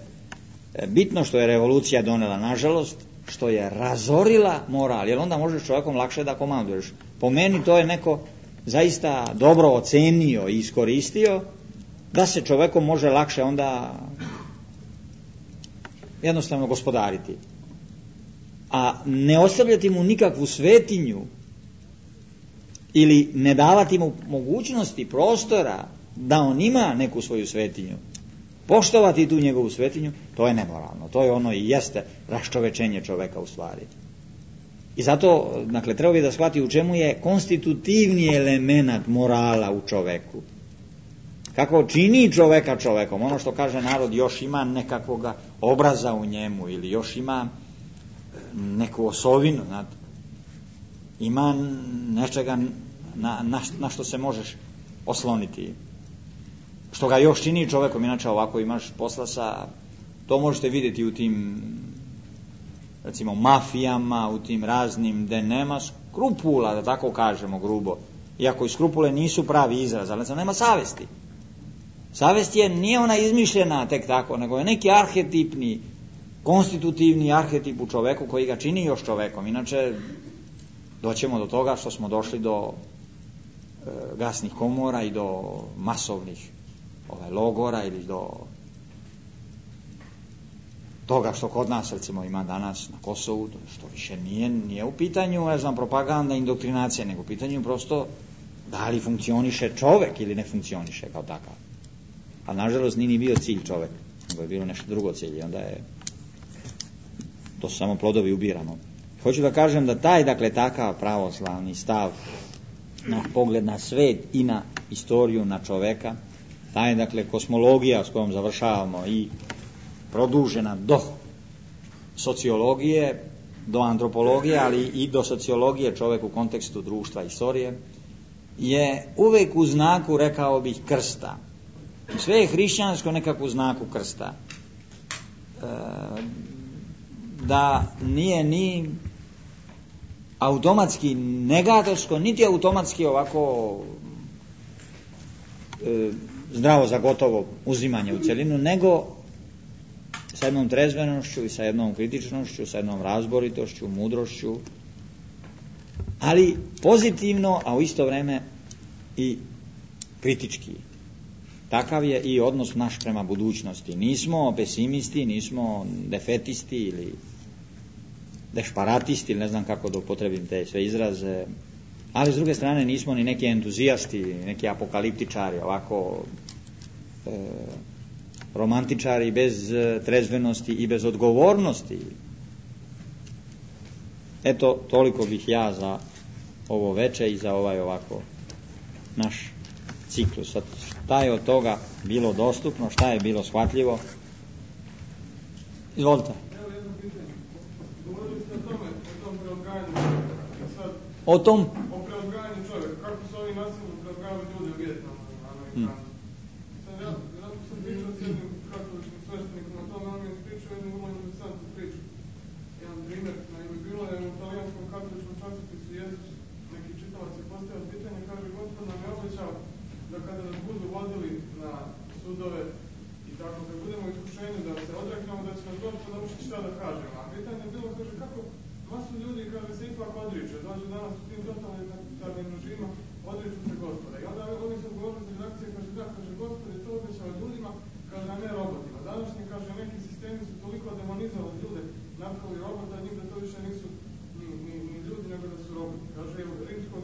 bitno, što je revolucija donela, nažalost, što je razorila moral, jer onda možeš čovjekom lakše da komanduješ. Po meni to je neko zaista dobro ocenio i iskoristio, da se čovjekom može lakše onda jednostavno gospodariti. A ne ostavljati mu nikakvu svetinju ili ne davati mu mogućnosti, prostora da on ima neku svoju svetinju, poštovati tu njegovu svetinju, to je nemoralno. To je ono i jeste raščovečenje čoveka u stvari. I zato, dakle, treba bi da shvati u čemu je konstitutivni element morala u čoveku. Kako čini čoveka čovekom, ono što kaže narod, još ima nekakvog obraza u njemu ili još ima neku osovinu, znate. Ima nečega na, na, na što se možeš osloniti, što ga još čini čovekom. Inače ovako imaš posla sa, to možete vidjeti u tim, recimo, mafijama, u tim raznim, gde nema skrupula, da tako kažemo grubo, iako i skrupule nisu pravi izraz, ali nema savesti. Savest je, nije ona izmišljena tek tako, nego je neki arhetipni, konstitutivni arhetip u čoveku koji ga čini još čovekom. Inače doćemo do toga što smo došli do e, gasnih komora i do masovnih ovaj, logora ili do toga što kod nas recimo ima danas na Kosovu, što više nije, nije u pitanju, ne znam, propaganda, indoktrinacija, nego u pitanju prosto da li funkcioniše čovek ili ne funkcioniše kao takav. A nažalost nije ni bio cilj čovek, nego je bilo nešto drugo cilj i onda je to su samo plodovi ubirano. Hoću da kažem da taj, dakle, takav pravoslavni stav na pogled na svet i na istoriju, na čoveka, taj, dakle, kosmologija s kojom završavamo i produžena do sociologije, do antropologije, ali i do sociologije čovek u kontekstu društva i istorije, je uvek u znaku, rekao bih, krsta. Sve je hrišćansko nekako u znaku krsta. E, da nije ni automatski negatorsko, niti automatski ovako e, zdravo za gotovo uzimanje u celinu, nego sa jednom trezvenošću i sa jednom kritičnošću, sa jednom razboritošću, mudrošću, ali pozitivno, a u isto vreme i kritički. Takav je i odnos naš prema budućnosti. Nismo pesimisti, nismo defetisti ili dešparatisti, ili ne znam kako da upotrebim te sve izraze, ali s druge strane nismo ni neki entuzijasti, neki apokaliptičari, ovako e, romantičari bez trezvenosti i bez odgovornosti. Eto, toliko bih ja za ovo veče i za ovaj ovako naš ciklus. Šta je od toga bilo dostupno, šta je bilo shvatljivo? Izvolite. Evo jedno pitanje. Govorili ste o tome, o tom preodgajanju. Sad, o tom? O preodgajanju čovjeka. Kako su ovi nasilno preodgajali ljudi u Vijetnamu, Amerikanci. Hmm. Sad ja, ja sam pričao s jednim katoličkim sveštenikom o tome, on mi je ispričao jednu vrlo interesantnu priču. Jedan primjer, naime, bilo je u talijanskom katoličkom časopisu Jezus, neki čitalac je postavio pitanje, kaže, Gospod nam je obećao da kada nas budu vodili na sudove i tako, kad budemo u iskušenju da se odreknemo, da će nas doći naučiti šta da kažemo. A pitanje je bilo, kaže, kako masu ljudi, kaže, se ipak odriče, dođu danas u tim totalitarnim režima, odriču se Gospoda. I onda ovi su govorili za reakcije, kaže, da, kaže, Gospod je to obećao ljudima, kaže, a ne robotima. Današnji, kaže, neki sistemi su toliko demonizovali ljude, napravili robota, njih da to više nisu ni, ni, ni ljudi, nego da su roboti. Kaže, evo, rimsko,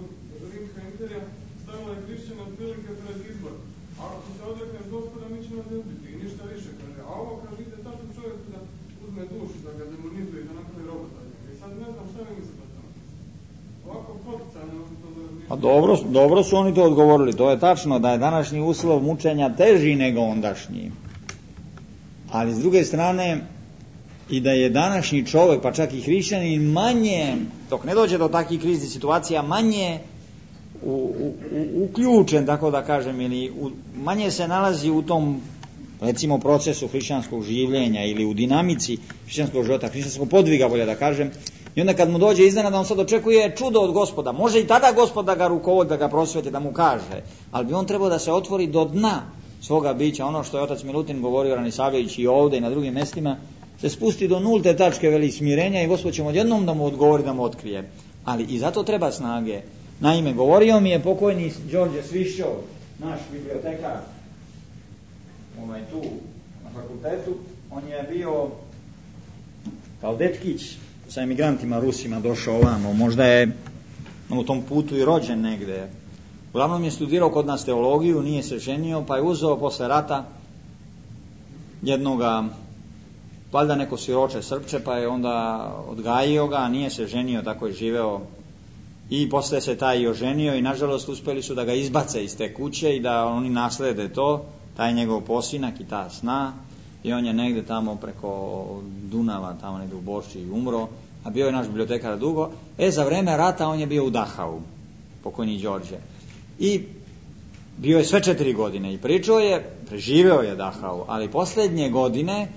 rimska imperija stavila je hrišćana otprilike pred izbor. A ako se odrekneš Gospoda, mi ćemo ne ubiti i ništa više, kaže. A ovo, kaže, ide tako čovjeku da uzme dušu, da ga demonizuje, da napravi robota. I sad ne znam šta mi mislite o tome. Ovako poticajno. A dobro, dobro su oni to odgovorili. To je tačno da je današnji uslov mučenja teži nego ondašnji. Ali s druge strane, i da je današnji čovjek, pa čak i hrišćanin, manje dok ne dođe do takvih kriznih situacija, manje u, u, u, uključen, tako da kažem, ili u, manje se nalazi u tom, recimo, procesu hrišćanskog življenja ili u dinamici hrišćanskog života, hrišćanskog podviga, bolje da kažem. I onda kad mu dođe iznenada, on sad očekuje čudo od Gospoda. Može i tada Gospod da ga rukovodi, da ga prosveti, da mu kaže, ali bi on trebao da se otvori do dna svoga bića. Ono što je otac Milutin govorio, Ranisavljević, i ovde i na drugim mestima, se spusti do nulte tačke, veli, smirenja, i Gospod će odjednom da mu odgovori, da mu otkrije. Ali i zato treba snage. Naime, govorio mi je pokojni Đorđe Svišćov, naš bibliotekar, ovaj tu na fakultetu. On je bio kao dečkić sa emigrantima Rusima došao ovamo, možda je u tom putu i rođen negde. Uglavnom je studirao kod nas teologiju, nije se ženio, pa je uzeo posle rata jednoga, valjda neko siroče Srpče, pa je onda odgajio ga, nije se ženio, tako je živeo. I posle se taj i oženio i nažalost uspeli su da ga izbace iz te kuće i da oni naslede to, taj njegov posinak i ta sna. I on je negde tamo preko Dunava, tamo negde u Borči, umro, a bio je naš bibliotekar dugo. E, za vreme rata on je bio u Dachau, pokojni Đorđe. I bio je sve četiri godine i pričao je, preživeo je Dachau, ali poslednje godine,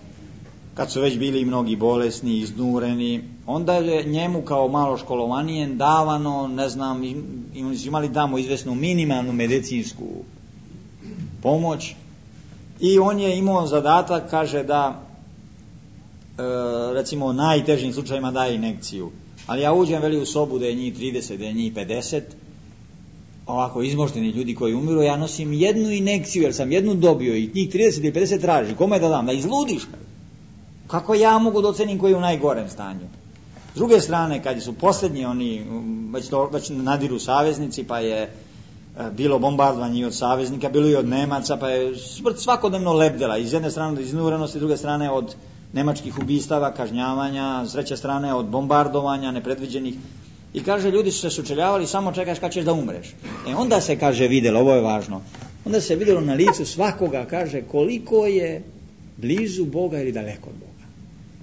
kad su već bili mnogi bolesni, iznureni, onda je njemu kao malo školovanije davano, ne znam, im su imali tamo izvesnu minimalnu medicinsku pomoć. I on je imao zadatak, kaže, da e, recimo u najtežim slučajima daje injekciju. Ali ja uđem, veli, u sobu da je njih trideset, da je njih pedeset, ovako izmošteni ljudi koji umiru, ja nosim jednu injekciju, jer sam jednu dobio i njih trideset ili pedeset traži. Kome da dam? Da izludiš? Kako ja mogu da ocenim koji je u najgorem stanju? S druge strane, kad su posljednji oni, već, to, već nadiru saveznici, pa je bilo bombardovanje i od saveznika, bilo i od Nemaca, pa je smrt svakodnevno lebdela, iz jedne strane od iznurenosti, s druge strane od nemačkih ubistava, kažnjavanja, s treće strane od bombardovanja nepredviđenih. I kaže, ljudi su se sučeljavali, samo čekaš kad ćeš da umreš. E onda se, kaže, vidjelo, ovo je važno, onda se vidjelo na licu svakoga, kaže, koliko je blizu Boga ili daleko od Boga.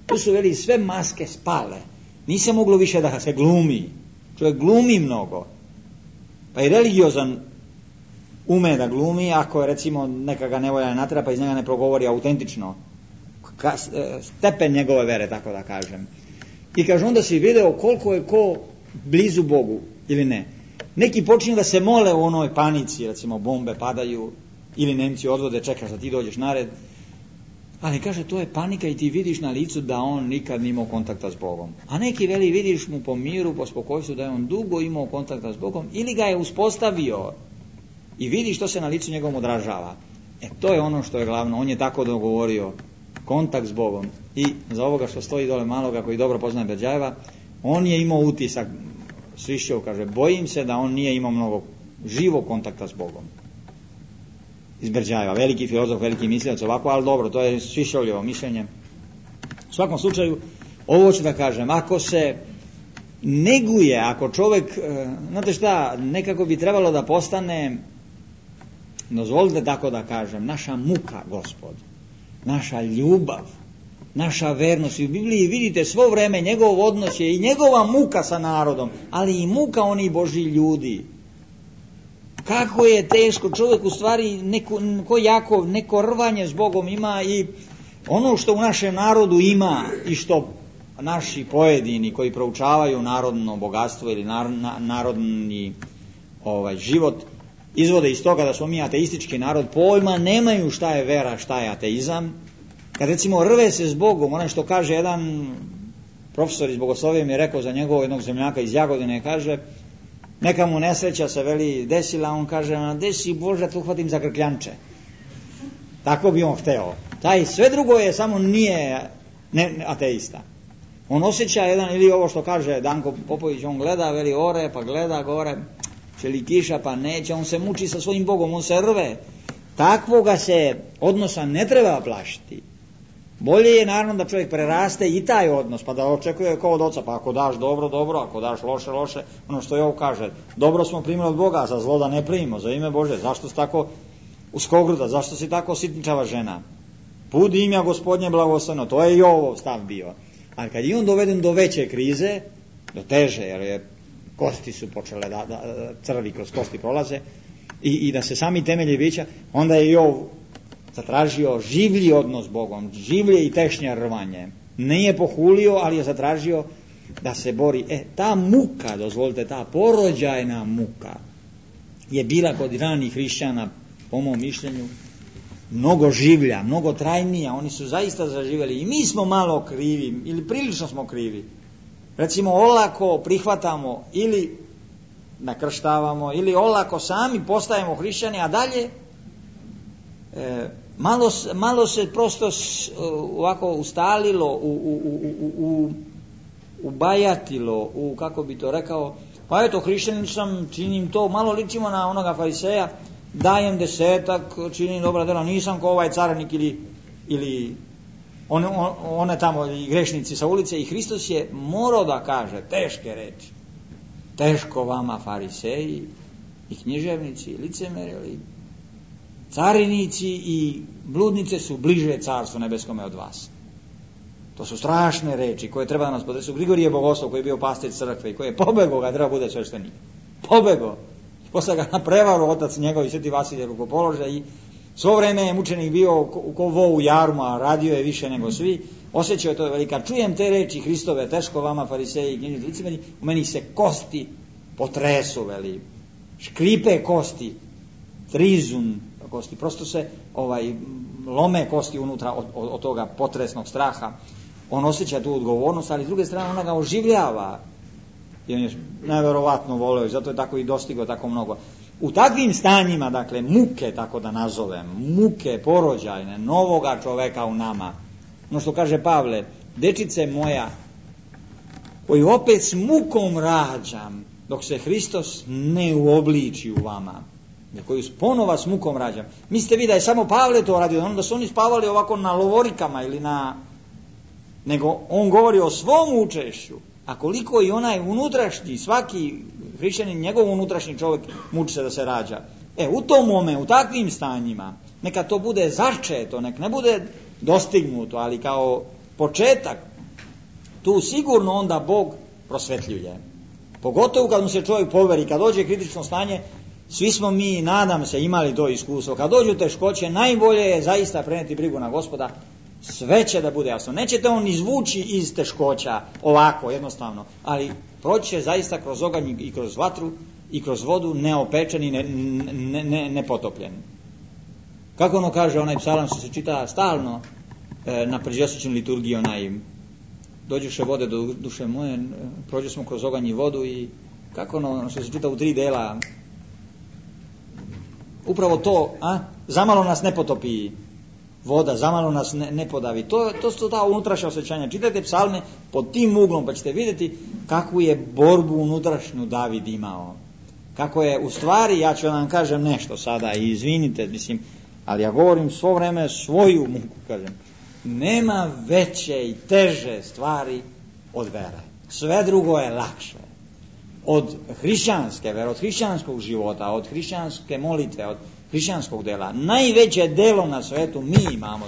Tu su, veli, sve maske spale, nije se moglo više da se glumi, čovjek glumi mnogo. Pa i religiozan ume da glumi, ako je, recimo, neka ga nevolja natera, pa iz njega ne progovori autentično ka, stepen njegove vere, tako da kažem. I kaže, onda si video koliko je ko blizu Bogu ili ne. Neki počinju da se mole u onoj panici, recimo bombe padaju ili Nemci odvode, čekaš da ti dođeš na red. Ali kaže, to je panika i ti vidiš na licu da on nikad nije imao kontakta s Bogom. A neki, veli, vidiš mu po miru, po spokojstvu da je on dugo imao kontakta s Bogom ili ga je uspostavio i vidiš što se na licu njegovom odražava. E, to je ono što je glavno. On je tako dogovorio, kontakt s Bogom. I za ovoga što stoji dole maloga, koji dobro poznaje Berđajeva, on je imao utisak, Svišćov kaže, bojim se da on nije imao mnogo živog kontakta s Bogom. Iz Berđajeva, veliki filozof, veliki mislilac, ovako, ali dobro, to je Svišćovljevo mišljenje. U svakom slučaju, ovo ću da kažem, ako se neguje, ako čovjek, znate šta, nekako bi trebalo da postane, dozvolite tako da kažem, naša muka, Gospod, naša ljubav, naša vernost. I u Bibliji vidite svo vreme njegov odnos je i njegova muka sa narodom, ali i muka onih Božji ljudi. Kako je teško, čovjek u stvari neko, neko jako, neko rvanje s Bogom ima i ono što u našem narodu ima i što naši pojedini koji proučavaju narodno bogatstvo ili nar, na, narodni ovaj, život izvode iz toga da smo mi ateistički narod, pojma nemaju šta je vera, šta je ateizam. Kad recimo rve se s Bogom, ono što kaže jedan profesor iz bogoslovije mi je rekao za njegovog jednog zemljaka iz Jagodine, kaže, neka mu nesreća se, veli, desila, on kaže, desi Bože, tu uhvatim za grkljanče. Tako bi on hteo. Taj sve drugo je, samo nije ne, ateista. On osjeća jedan, ili ovo što kaže Danko Popović, on gleda, veli, ore, pa gleda gore, će li kiša, pa neće, on se muči sa svojim Bogom, on se rve. Takvoga se odnosa ne treba plašiti. Bolje je naravno da čovjek preraste i taj odnos, pa da očekuje kao od oca, pa ako daš dobro, dobro, ako daš loše, loše, ono što je ovo kaže, dobro smo primili od Boga, za zlo da ne primimo, za ime Bože, zašto si tako uskogruda, zašto si tako sitničava žena? Put imja Gospodnje blagosloveno, to je i ovo stav bio. Ali kad je on doveden do veće krize, do teže, jer je kosti su počele da, da crvi kroz kosti prolaze i, i da se sami temelji bića, onda je Jov zatražio življi odnos s Bogom, življe i tešnje rvanje. Nije pohulio, ali je zatražio da se bori. E, ta muka, dozvolite, ta porođajna muka je bila kod ranih hrišćana, po mom mišljenju, mnogo življa, mnogo trajnija. Oni su zaista zaživjeli i mi smo malo krivi, ili prilično smo krivi. Recimo, olako prihvatamo ili nakrštavamo, ili olako sami postajemo hrišćani, a dalje e, malo, malo se prosto s, ovako ustalilo, u, u, u, u, ubajatilo, u, kako bi to rekao, pa eto, hrišćanin sam, činim to, malo ličimo na onoga fariseja, dajem desetak, činim dobra dela, nisam ko ovaj carinik ili, ili one, one tamo i grešnici sa ulice. I Hristos je morao da kaže teške reči. Teško vama fariseji i književnici, licemeri, carinici i bludnice su bliže carstvu nebeskome od vas. To su strašne reči koje treba da nas potresu. Grigorije Bogoslov, koji je bio pastir crkve i koji je pobegao ga, treba bude sveštenik. Pobegao. Posle ga na prevaru otac njegov i sveti Vasilije rukopolože i svo vreme je mučenik bio ko vo u jarmu, a radio je više nego svi. Osjećao je to velika. Čujem te reči Hristove, teško vama fariseji i književnici licemeri, u meni se kosti potresu, veli. Škripe kosti, trizun kosti, prosto se ovaj lome kosti unutra od, od, od toga potresnog straha. On osjeća tu odgovornost, ali s druge strane ona ga oživljava. I on je neverovatno voleo i zato je tako i dostigao tako mnogo. U takvim stanjima, dakle, muke, tako da nazovem, muke porođajne, novoga čoveka u nama, no što kaže Pavle, dečice moja, koju opet s mukom rađam, dok se Hristos ne uobliči u vama, koju ponova s mukom rađam. Mislite vi da je samo Pavle to radio, onda su oni spavali ovako na lovorikama ili na... Nego on govori o svom učešću, a koliko i onaj unutrašnji, svaki hrišćanin, njegov unutrašnji čovjek muči se da se rađa. E, u tom momentu, u takvim stanjima, neka to bude začeto, nek ne bude dostignuto, ali kao početak, tu sigurno onda Bog prosvetljuje. Pogotovo kad mu se čovjek poveri, kad dođe kritično stanje, svi smo mi, nadam se, imali to iskustvo. Kad dođu teškoće, najbolje je zaista preneti brigu na Gospoda, sve će da bude jasno. Nećete on izvući iz teškoća ovako, jednostavno, ali proći će zaista kroz oganj i kroz vatru i kroz vodu neopečen i ne, ne, ne, nepotopljen. Kako ono kaže onaj psalam što se čita stalno e, na pređesečnoj liturgiji, onaj dođuše vode do duše moje, prođu smo kroz oganj i vodu, i kako ono što se čita u tri dela, upravo to, a? Zamalo nas ne potopi voda, zamalo nas ne, ne podavi. To, to su ta unutrašnja osjećanja. Čitajte psalme pod tim uglom pa ćete vidjeti kakvu je borbu unutrašnju David imao. Kako je, u stvari, ja ću vam kažem nešto sada i izvinite, mislim, ali ja govorim svo vreme svoju muku, kažem. Nema veće i teže stvari od vere. Sve drugo je lakše. Od hrišćanske vere, od hrišćanskog života, od hrišćanske molitve, od hrišćanskog dela. Najveće delo na svetu mi imamo.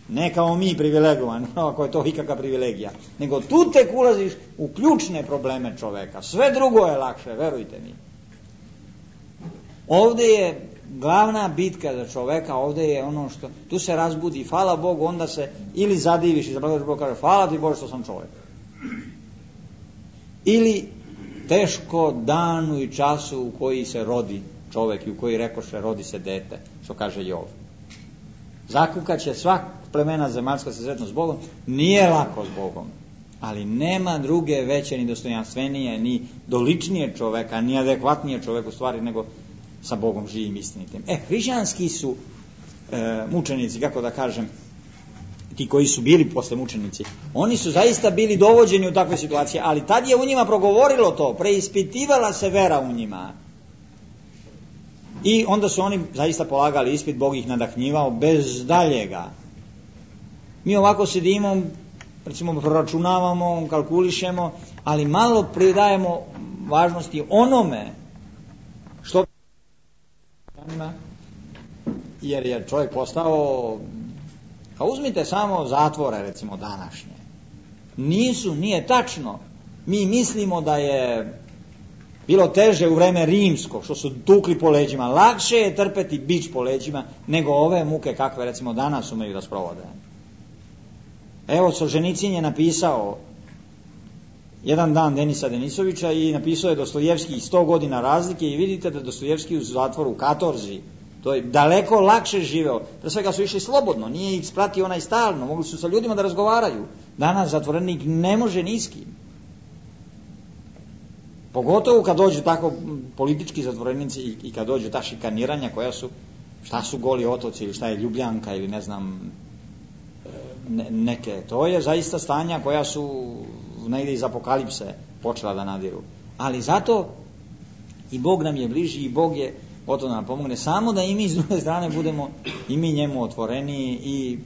Ne kao mi privilegovani, ako je to ikakva privilegija. Nego tu tek ulaziš u ključne probleme čoveka. Sve drugo je lakše, verujte mi. Ovdje je glavna bitka za čoveka, ovdje je ono što, tu se razbudi, hvala Bogu, onda se ili zadiviš i zablagoš Bog, kaže hvala ti Bože što sam čovjek. Ili teško danu i času u koji se rodi čovjek i u koji rekoše rodi se dete, što kaže Jov. Zakukat će svak plemena zemaljska se sretno s Bogom, nije lako s Bogom, ali nema druge veće ni dostojanstvenije, ni doličnije čoveka, ni adekvatnije čoveku stvari nego sa Bogom živim istinitim. E, hrišćanski su e, mučenici, kako da kažem, ti koji su bili posle mučenici, oni su zaista bili dovođeni u takve situacije, ali tad je u njima progovorilo to, preispitivala se vera u njima. I onda su oni zaista polagali ispit, Bog ih nadahnjivao bez daljega. Mi ovako sedimo, recimo proračunavamo, kalkulišemo, ali malo pridajemo važnosti onome što, jer je čovjek postao, a uzmite samo zatvore, recimo današnje. Nisu, nije tačno Mi mislimo da je bilo teže u vreme rimsko, što su tukli po leđima. Lakše je trpeti bič po leđima nego ove muke kakve recimo danas umeju da sprovode. Evo, Solženicin je napisao jedan dan Denisa Denisovića i napisao je Dostojevski sto godina razlike i vidite da Dostojevski u zatvoru u katorzi, to je daleko lakše živeo. Pre svega su išli slobodno, nije ih spratio onaj stalno, mogli su sa ljudima da razgovaraju. Danas zatvorenik ne može ni s kim. Pogotovo kad dođu tako politički zatvorenici i, i kad dođu ta šikaniranja koja su, šta su Goli otoci ili šta je Ljubljanka ili ne znam ne, neke, to je zaista stanja koja su negdje iz apokalipse počela da nadiru. Ali zato i Bog nam je bliži i Bog je gotovo da nam pomogne, samo da i mi s druge strane budemo i mi njemu otvoreniji i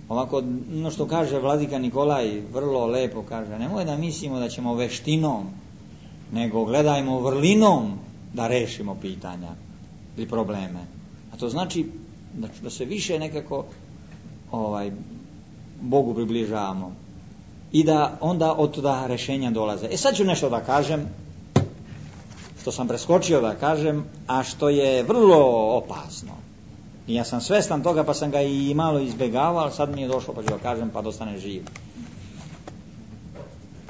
ovako, no što kaže vladika Nikolaj, vrlo lepo kaže, nemoj da mislimo da ćemo veštinom, nego gledajmo vrlinom da rešimo pitanja ili probleme. A to znači da, da se više nekako ovaj, Bogu približavamo i da onda od toga rešenja dolaze. E sad ću nešto da kažem, što sam preskočio da kažem, a što je vrlo opasno. I ja sam svestan toga pa sam ga i malo izbjegavao, ali sad mi je došlo pa ću da kažem pa dostane živ.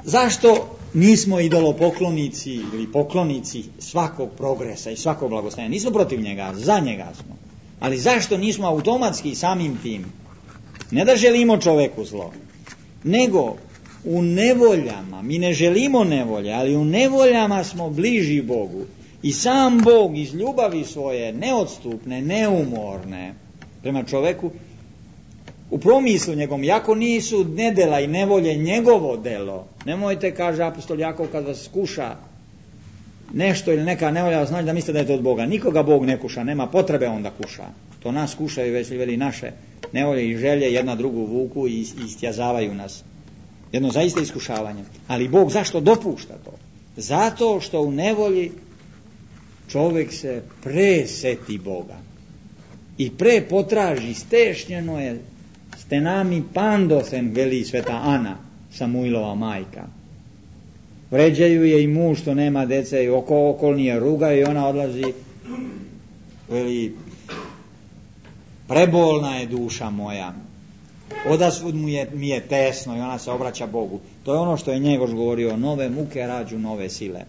Zašto nismo idolopoklonici ili poklonici svakog progresa i svakog blagostanja? Nismo protiv njega, za njega smo. Ali zašto nismo automatski samim tim? Ne da želimo čoveku zlo, nego u nevoljama, mi ne želimo nevolje, ali u nevoljama smo bliži Bogu. I sam Bog iz ljubavi svoje, neodstupne, neumorne prema čoveku, u promislu njegovom, jako nisu nedela i nevolje njegovo delo, nemojte, kaže apostol Jakov, kad vas kuša nešto ili neka nevolja, znači da mislite da je to od Boga. Nikoga Bog ne kuša, nema potrebe on da kuša. To nas kušaju, već li veli naše nevolje i želje, jedna drugu vuku i istjazavaju nas. Jedno zaista iskušavanje. Ali Bog zašto dopušta to? Zato što u nevolji čovjek se preseti Boga i pre potraži, stešnjeno je stenami pandosen, veli sveta Ana, Samuilova majka. Vređaju je i muž što nema dece i oko okolnije rugaju i ona odlazi, veli, prebolna je duša moja, odasvud mu je, mi je tesno i ona se obraća Bogu. To je ono što je Njegoš govorio, nove muke rađu nove sile.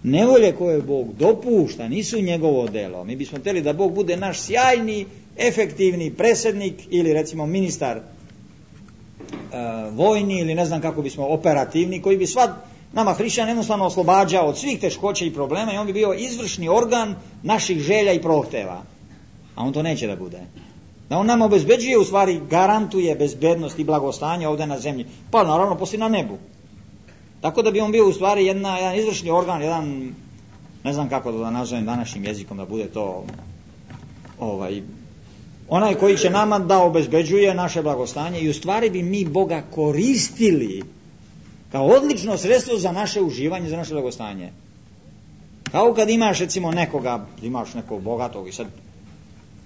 Nevolje koje Bog dopušta nisu njegovo delo. Mi bismo htjeli da Bog bude naš sjajni, efektivni predsjednik ili recimo ministar e, vojni ili ne znam kako bismo operativni, koji bi sva nama hrišćan jednostavno oslobađao od svih teškoća i problema i on bi bio izvršni organ naših želja i prohteva. A on to neće da bude. Da on nama obezbeđuje, u stvari garantuje bezbednost i blagostanje ovdje na zemlji, pa naravno poslije na nebu. Tako da bi on bio u stvari jedna, jedan izvršni organ, jedan, ne znam kako da nazovem današnjim jezikom da bude to, ovaj, onaj koji će nama da obezbeđuje naše blagostanje i u stvari bi mi Boga koristili kao odlično sredstvo za naše uživanje, za naše blagostanje. Kao kad imaš recimo nekoga, imaš nekog bogatog i sad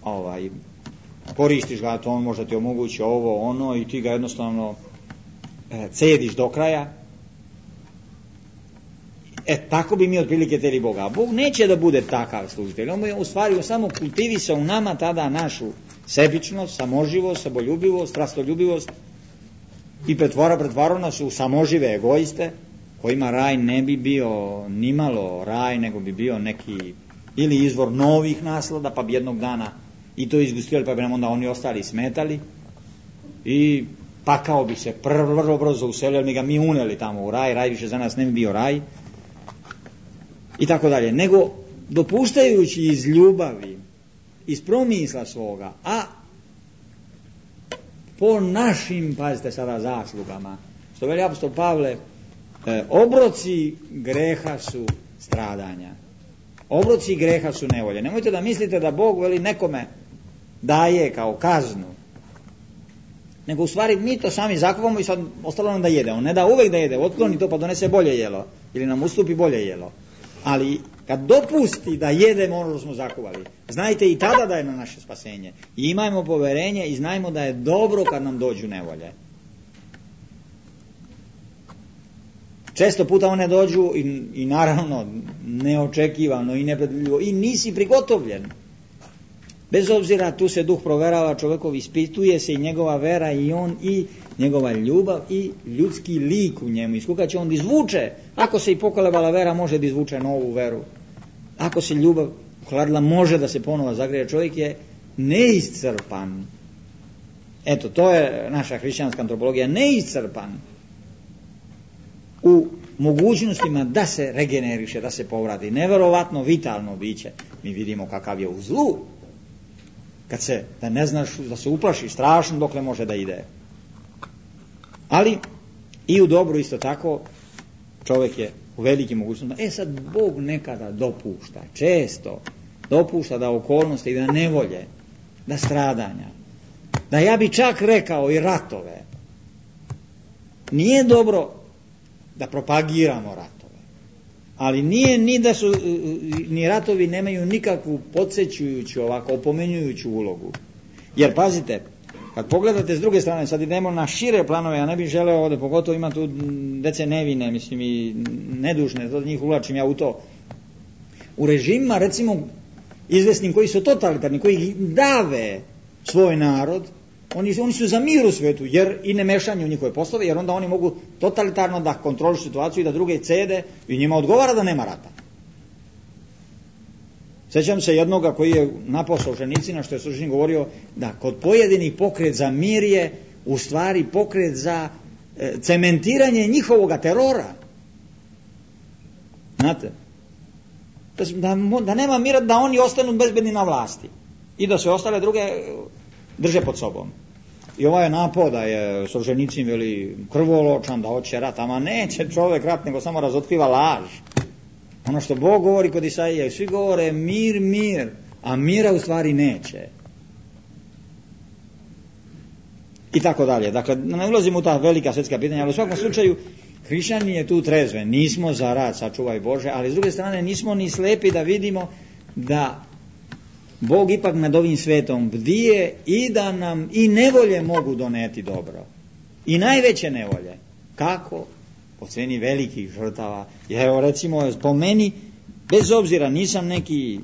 ovaj, koristiš ga, to on možda ti omogući ovo, ono i ti ga jednostavno e, cediš do kraja. E, tako bi mi otprilike teli Boga. A Bog neće da bude takav služitelj. On u stvari samo kultivisa u nama tada našu sebičnost, samoživost, saboljubivost, strastoljubivost i pretvara, pretvara nas u samožive egoiste, kojima raj ne bi bio nimalo raj, nego bi bio neki ili izvor novih naslada, pa bi jednog dana i to izgustili, pa bi nam onda oni ostali smetali i pakao bi se prvo vrlo brzo uselio, mi ga mi uneli tamo u raj, raj više za nas ne bi bio raj i tako dalje, nego dopuštajući iz ljubavi, iz promisla svoga, a po našim, pazite sada, zaslugama, što veli apostol Pavle, e, obroci greha su stradanja, obroci greha su nevolje. Nemojte da mislite da Bog veli nekome daje kao kaznu, nego u stvari mi to sami zakupamo i sad ostalo nam da jede. On ne da uvek da jede, otkloni to pa donese bolje jelo ili nam ustupi bolje jelo. Ali kad dopusti da jedemo ono što smo zakuvali, znajte i tada da je na naše spasenje. I imajmo poverenje i znajmo da je dobro kad nam dođu nevolje. često puta one dođu i, i naravno neočekivano i nepredvidljivo i nisi prigotovljen. Bez obzira, tu se duh proverava, čovjekov ispituje se i njegova vera i on i njegova ljubav i ljudski lik u njemu. Iz koga će on izvuče, ako se i pokolebala vera, može da izvuče novu veru. Ako se ljubav ohladila, može da se ponovo zagreje. Čovjek je neiscrpan. Eto, to je naša hrišćanska antropologija, neiscrpan u mogućnostima da se regeneriše, da se povrati. Neverovatno vitalno biće. Mi vidimo kakav je u zlu. Kad se, da ne znaš, da se uplaši strašno dokle može da ide. Ali i u dobru isto tako čovjek je u velikim mogućnostima. E sad Bog nekada dopušta, često dopušta da okolnosti i da nevolje, da stradanja, da ja bi čak rekao i ratove. Nije dobro da propagiramo ratove, ali nije ni da su ni ratovi nemaju nikakvu podsjećujuću, ovako opomenjujuću ulogu. Jer pazite, kad pogledate s druge strane, sad idemo na šire planove, ja ne bih želeo ovdje, pogotovo ima tu dece nevine, mislim i nedužne, to njih uvlačim ja u to. U režimima, recimo, izvesnim koji su totalitarni, koji dave svoj narod, oni, oni su za mir u svijetu, jer i ne mešanje u njihove poslove, jer onda oni mogu totalitarno da kontrolišu situaciju i da druge cede i njima odgovara da nema rata. Sjećam se jednoga koji je napao Solženicina, što je Solženicin govorio da kod pojedinih pokret za mir je u stvari pokret za e, cementiranje njihovoga terora. Znate? Da, da nema mira, da oni ostanu bezbedni na vlasti i da sve ostale druge drže pod sobom. I ovaj je napao da je Solženicin veli krvoločan, da hoće rat, ama neće čovjek rat, nego samo razotkriva laž. Ono što Bog govori kod Isaije, svi govore mir, mir, a mira u stvari neće. I tako dalje. Dakle, ne ulazimo u ta velika svjetska pitanja, ali u svakom slučaju hrišćanin je tu trezven. Nismo za rat, sačuvaj Bože, ali s druge strane nismo ni slepi da vidimo da Bog ipak nad ovim svetom bdije i da nam i nevolje mogu doneti dobro. I najveće nevolje. Kako? Po ceni velikih žrtava. Evo recimo, po meni, bez obzira, nisam neki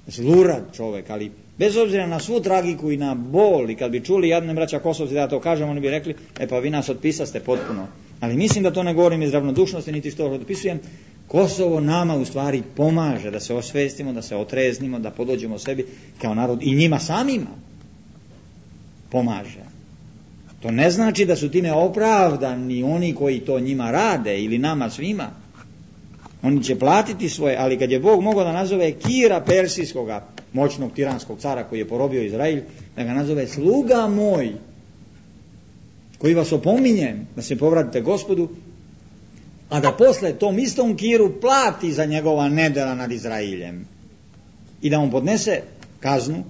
zlurad čovjek, ali bez obzira na svu tragiku i na bol, i kad bi čuli jadne braća Kosovci da ja to kažem, oni bi rekli, e pa vi nas otpisaste potpuno. Ali mislim da to ne govorim iz ravnodušnosti, niti što otpisujem. Kosovo nama u stvari pomaže da se osvestimo, da se otreznimo, da podođemo sebi kao narod i njima samima pomaže. To ne znači da su time opravdani oni koji to njima rade ili nama svima. Oni će platiti svoje, ali kad je Bog mogao da nazove Kira Persijskoga, moćnog tiranskog cara koji je porobio Izrael, da ga nazove sluga moj, koji vas opominjem da se povratite Gospodu, a da posle tom istom Kiru plati za njegova nedela nad Izraeljem i da on podnese kaznu,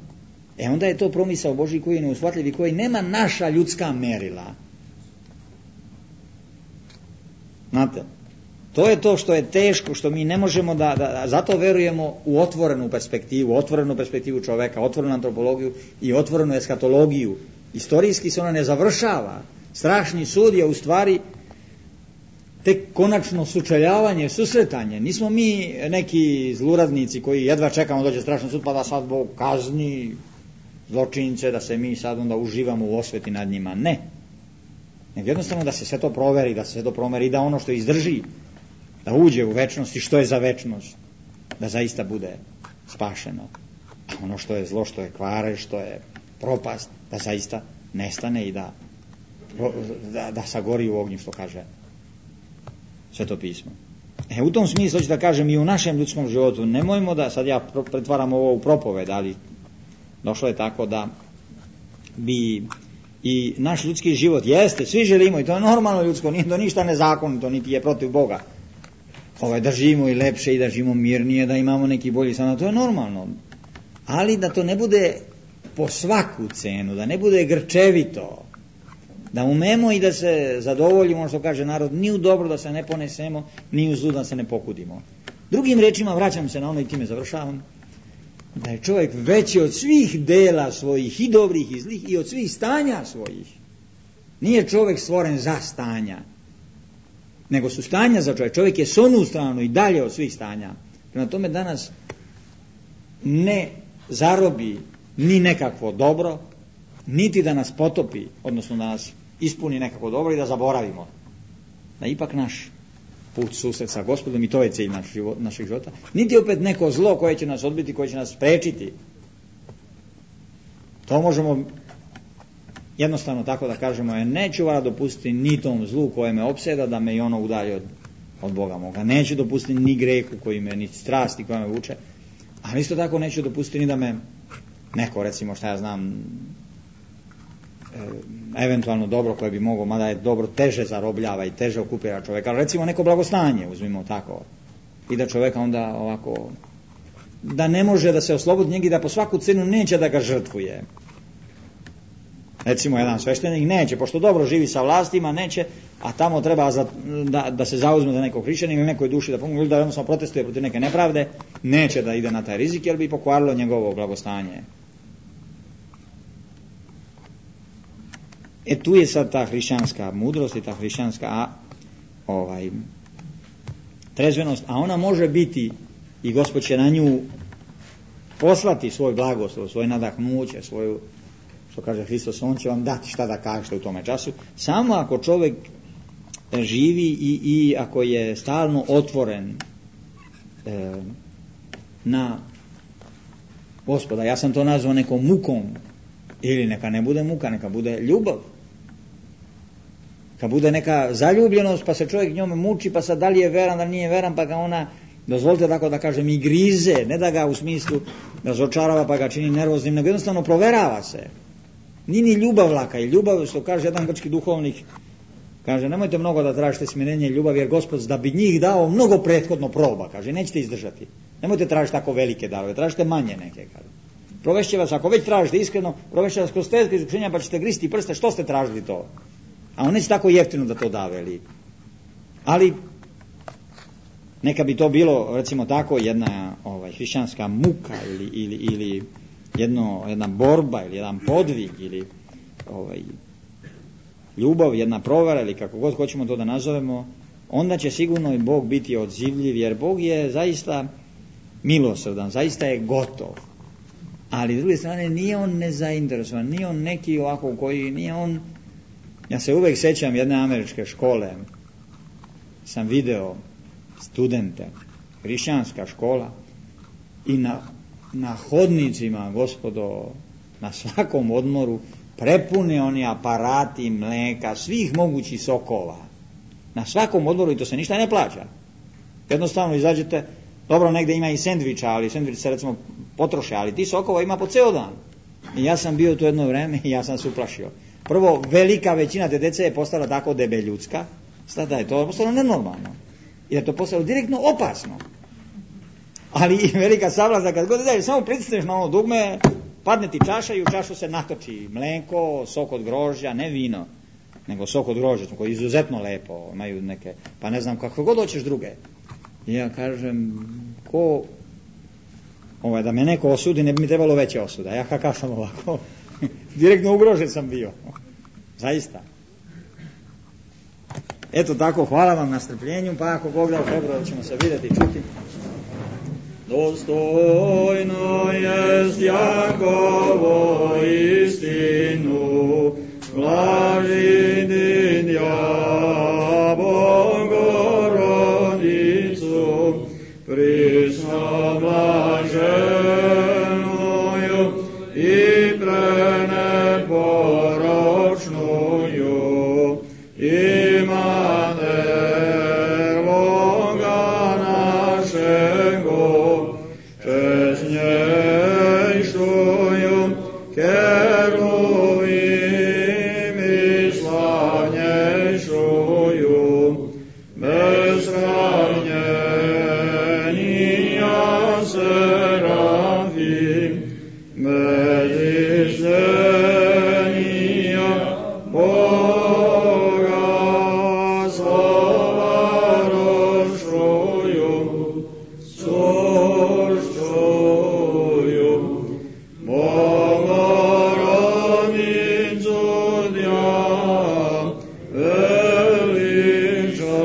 e onda je to promisao Božji koji je neushvatljiv i koji nema naša ljudska merila. Znate, to je to što je teško, što mi ne možemo da, da zato verujemo u otvorenu perspektivu, otvorenu perspektivu čoveka, otvorenu antropologiju i otvorenu eskatologiju. Istorijski se ona ne završava. Strašni sud je u stvari tek konačno sučeljavanje, susretanje. Nismo mi neki zluradnici koji jedva čekamo dođe strašni sud pa da sad Bog kazni zločince, da se mi sad onda uživamo u osveti nad njima. Ne. Nego jednostavno da se sve to proveri, da se sve to promeri, da ono što izdrži, da uđe u večnost i što je za večnost, da zaista bude spašeno. A ono što je zlo, što je kvare, što je propast, da zaista nestane i da, da, da sagori u ognju, što kaže Sveto pismo. E, u tom smislu ću da kažem i u našem ljudskom životu, nemojmo da, sad ja pretvaram ovo u propoved, ali došlo je tako da bi i naš ljudski život jeste, svi želimo i to je normalno ljudsko, nije to ništa nezakonito, niti je protiv Boga. Ovaj, da živimo i lepše i da živimo mirnije, da imamo neki bolji san, to je normalno. Ali da to ne bude po svaku cenu, da ne bude grčevito, da umemo i da se zadovoljimo, što kaže narod, ni u dobro da se ne ponesemo, ni u zlu da se ne pokudimo. Drugim rečima, vraćam se na ono i time završavam, da je čovjek veći od svih dela svojih, i dobrih i zlih, i od svih stanja svojih. Nije čovjek stvoren za stanja, nego su stanja za čovjek. Čovjek je s onu stranu i dalje od svih stanja. Prema tome danas ne zarobi ni nekakvo dobro, niti da nas potopi, odnosno da nas ispuni nekako dobro i da zaboravimo. Da ipak naš put susret sa Gospodom i to je cilj naš život, našeg života. Niti opet neko zlo koje će nas odbiti, koje će nas sprečiti. To možemo jednostavno tako da kažemo, je neću vara dopustiti ni tom zlu koje me opseda da me i ono udalji od, od Boga moga. Neću dopustiti ni grehu koji me, ni strasti koja me vuče, ali isto tako neću dopustiti ni da me neko, recimo šta ja znam, e, eventualno dobro koje bi moglo, mada je dobro teže zarobljava i teže okupira čovjeka, ali recimo neko blagostanje, uzmimo tako, i da čovjeka onda ovako, da ne može da se oslobodi njega i da po svaku cenu neće da ga žrtvuje. Recimo jedan sveštenik neće, pošto dobro živi sa vlastima, neće, a tamo treba za, da, da se zauzme za nekog hrišćanina ili nekoj duši da pomogne, ili da jednostavno protestuje protiv neke nepravde, neće da ide na taj rizik jer bi pokvarilo njegovo blagostanje. E tu je sad ta hrišćanska mudrost i ta hrišćanska a, ovaj, trezvenost, a ona može biti i Gospod će na nju poslati svoj blagoslov, svoje nadahnuće, svoju, što kaže Hristos, on će vam dati šta da kažete u tome času, samo ako čovjek živi i, i ako je stalno otvoren e, na Gospoda. Ja sam to nazvao nekom mukom, ili neka ne bude muka, neka bude ljubav. Kad bude neka zaljubljenost, pa se čovjek njome muči, pa sad da li je veran, da li nije veran, pa ga ona, dozvolite tako da kažem, i grize, ne da ga u smislu razočarava pa ga čini nervoznim, nego jednostavno proverava se. Nije ni ljubav laka, i ljubav, što kaže jedan grčki duhovnik, kaže, nemojte mnogo da tražite smirenje i ljubav, jer Gospod da bi njih dao mnogo prethodno proba, kaže, nećete izdržati. Nemojte tražiti tako velike darove, tražite manje neke, kaže. Provešće vas, ako već tražite iskreno, provešće vas kroz teška iskušenja, pa ćete gristi prste, što ste tražili to? A on neće tako jeftino da to da veli. Ali neka bi to bilo, recimo tako, jedna ovaj, hrišćanska muka ili, ili, ili jedno, jedna borba ili jedan podvig ili ovaj, ljubav, jedna provera ili kako god hoćemo to da nazovemo, onda će sigurno i Bog biti odzivljiv, jer Bog je zaista milosrdan, zaista je gotov. Ali s druge strane nije on nezainteresovan, nije on neki ovako koji, nije on, ja se uvijek sjećam jedne američke škole, sam video studente, hrišćanska škola, i na, na hodnicima, gospodo, na svakom odmoru prepune oni aparati mleka, svih mogućih sokova, na svakom odmoru, i to se ništa ne plaća. Jednostavno izađete, dobro, negdje ima i sendviča, ali sendvič se recimo potroše, ali ti sokova ima po ceo dan. I ja sam bio tu jedno vreme i ja sam se uplašio. Prvo, velika većina te dece je postala tako debeljudska, sada je to postalo nenormalno. I je to postalo direktno opasno. Ali i velika savlast da kad god daje, samo pritisneš na ono dugme, padne ti čaša i u čašu se natoči mleko, sok od grožđa, ne vino, nego sok od grožđa, koji je izuzetno lepo, imaju neke, pa ne znam kako god hoćeš druge. I ja kažem, ko, ovaj, da me neko osudi, ne bi mi trebalo veće osuda. Ja kakav sam ovako, direktno ugrožen sam bio. Zaista. Eto tako, hvala vam na strpljenju, pa ako Bog da u februaru ćemo se vidjeti i čuti. Dostojno jest Jakovo istinu, blaži din ja Bogorodicu, prisno blaženuju i preneporočnuju, Imaneloga našego, česnjejšuju keruvim i slavnjejšuju, bezsravnjenija serafim, medištenija Boga slova rošuju, sušćuju, Bogorodicu dja veliča.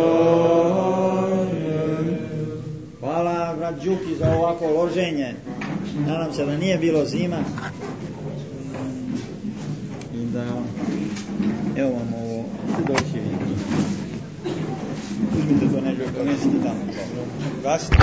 ovako loženje, nadam se da nije bilo zima i da evo vam ovo doći vi. Uzmite to neđe, ponesite tamo. Gasite.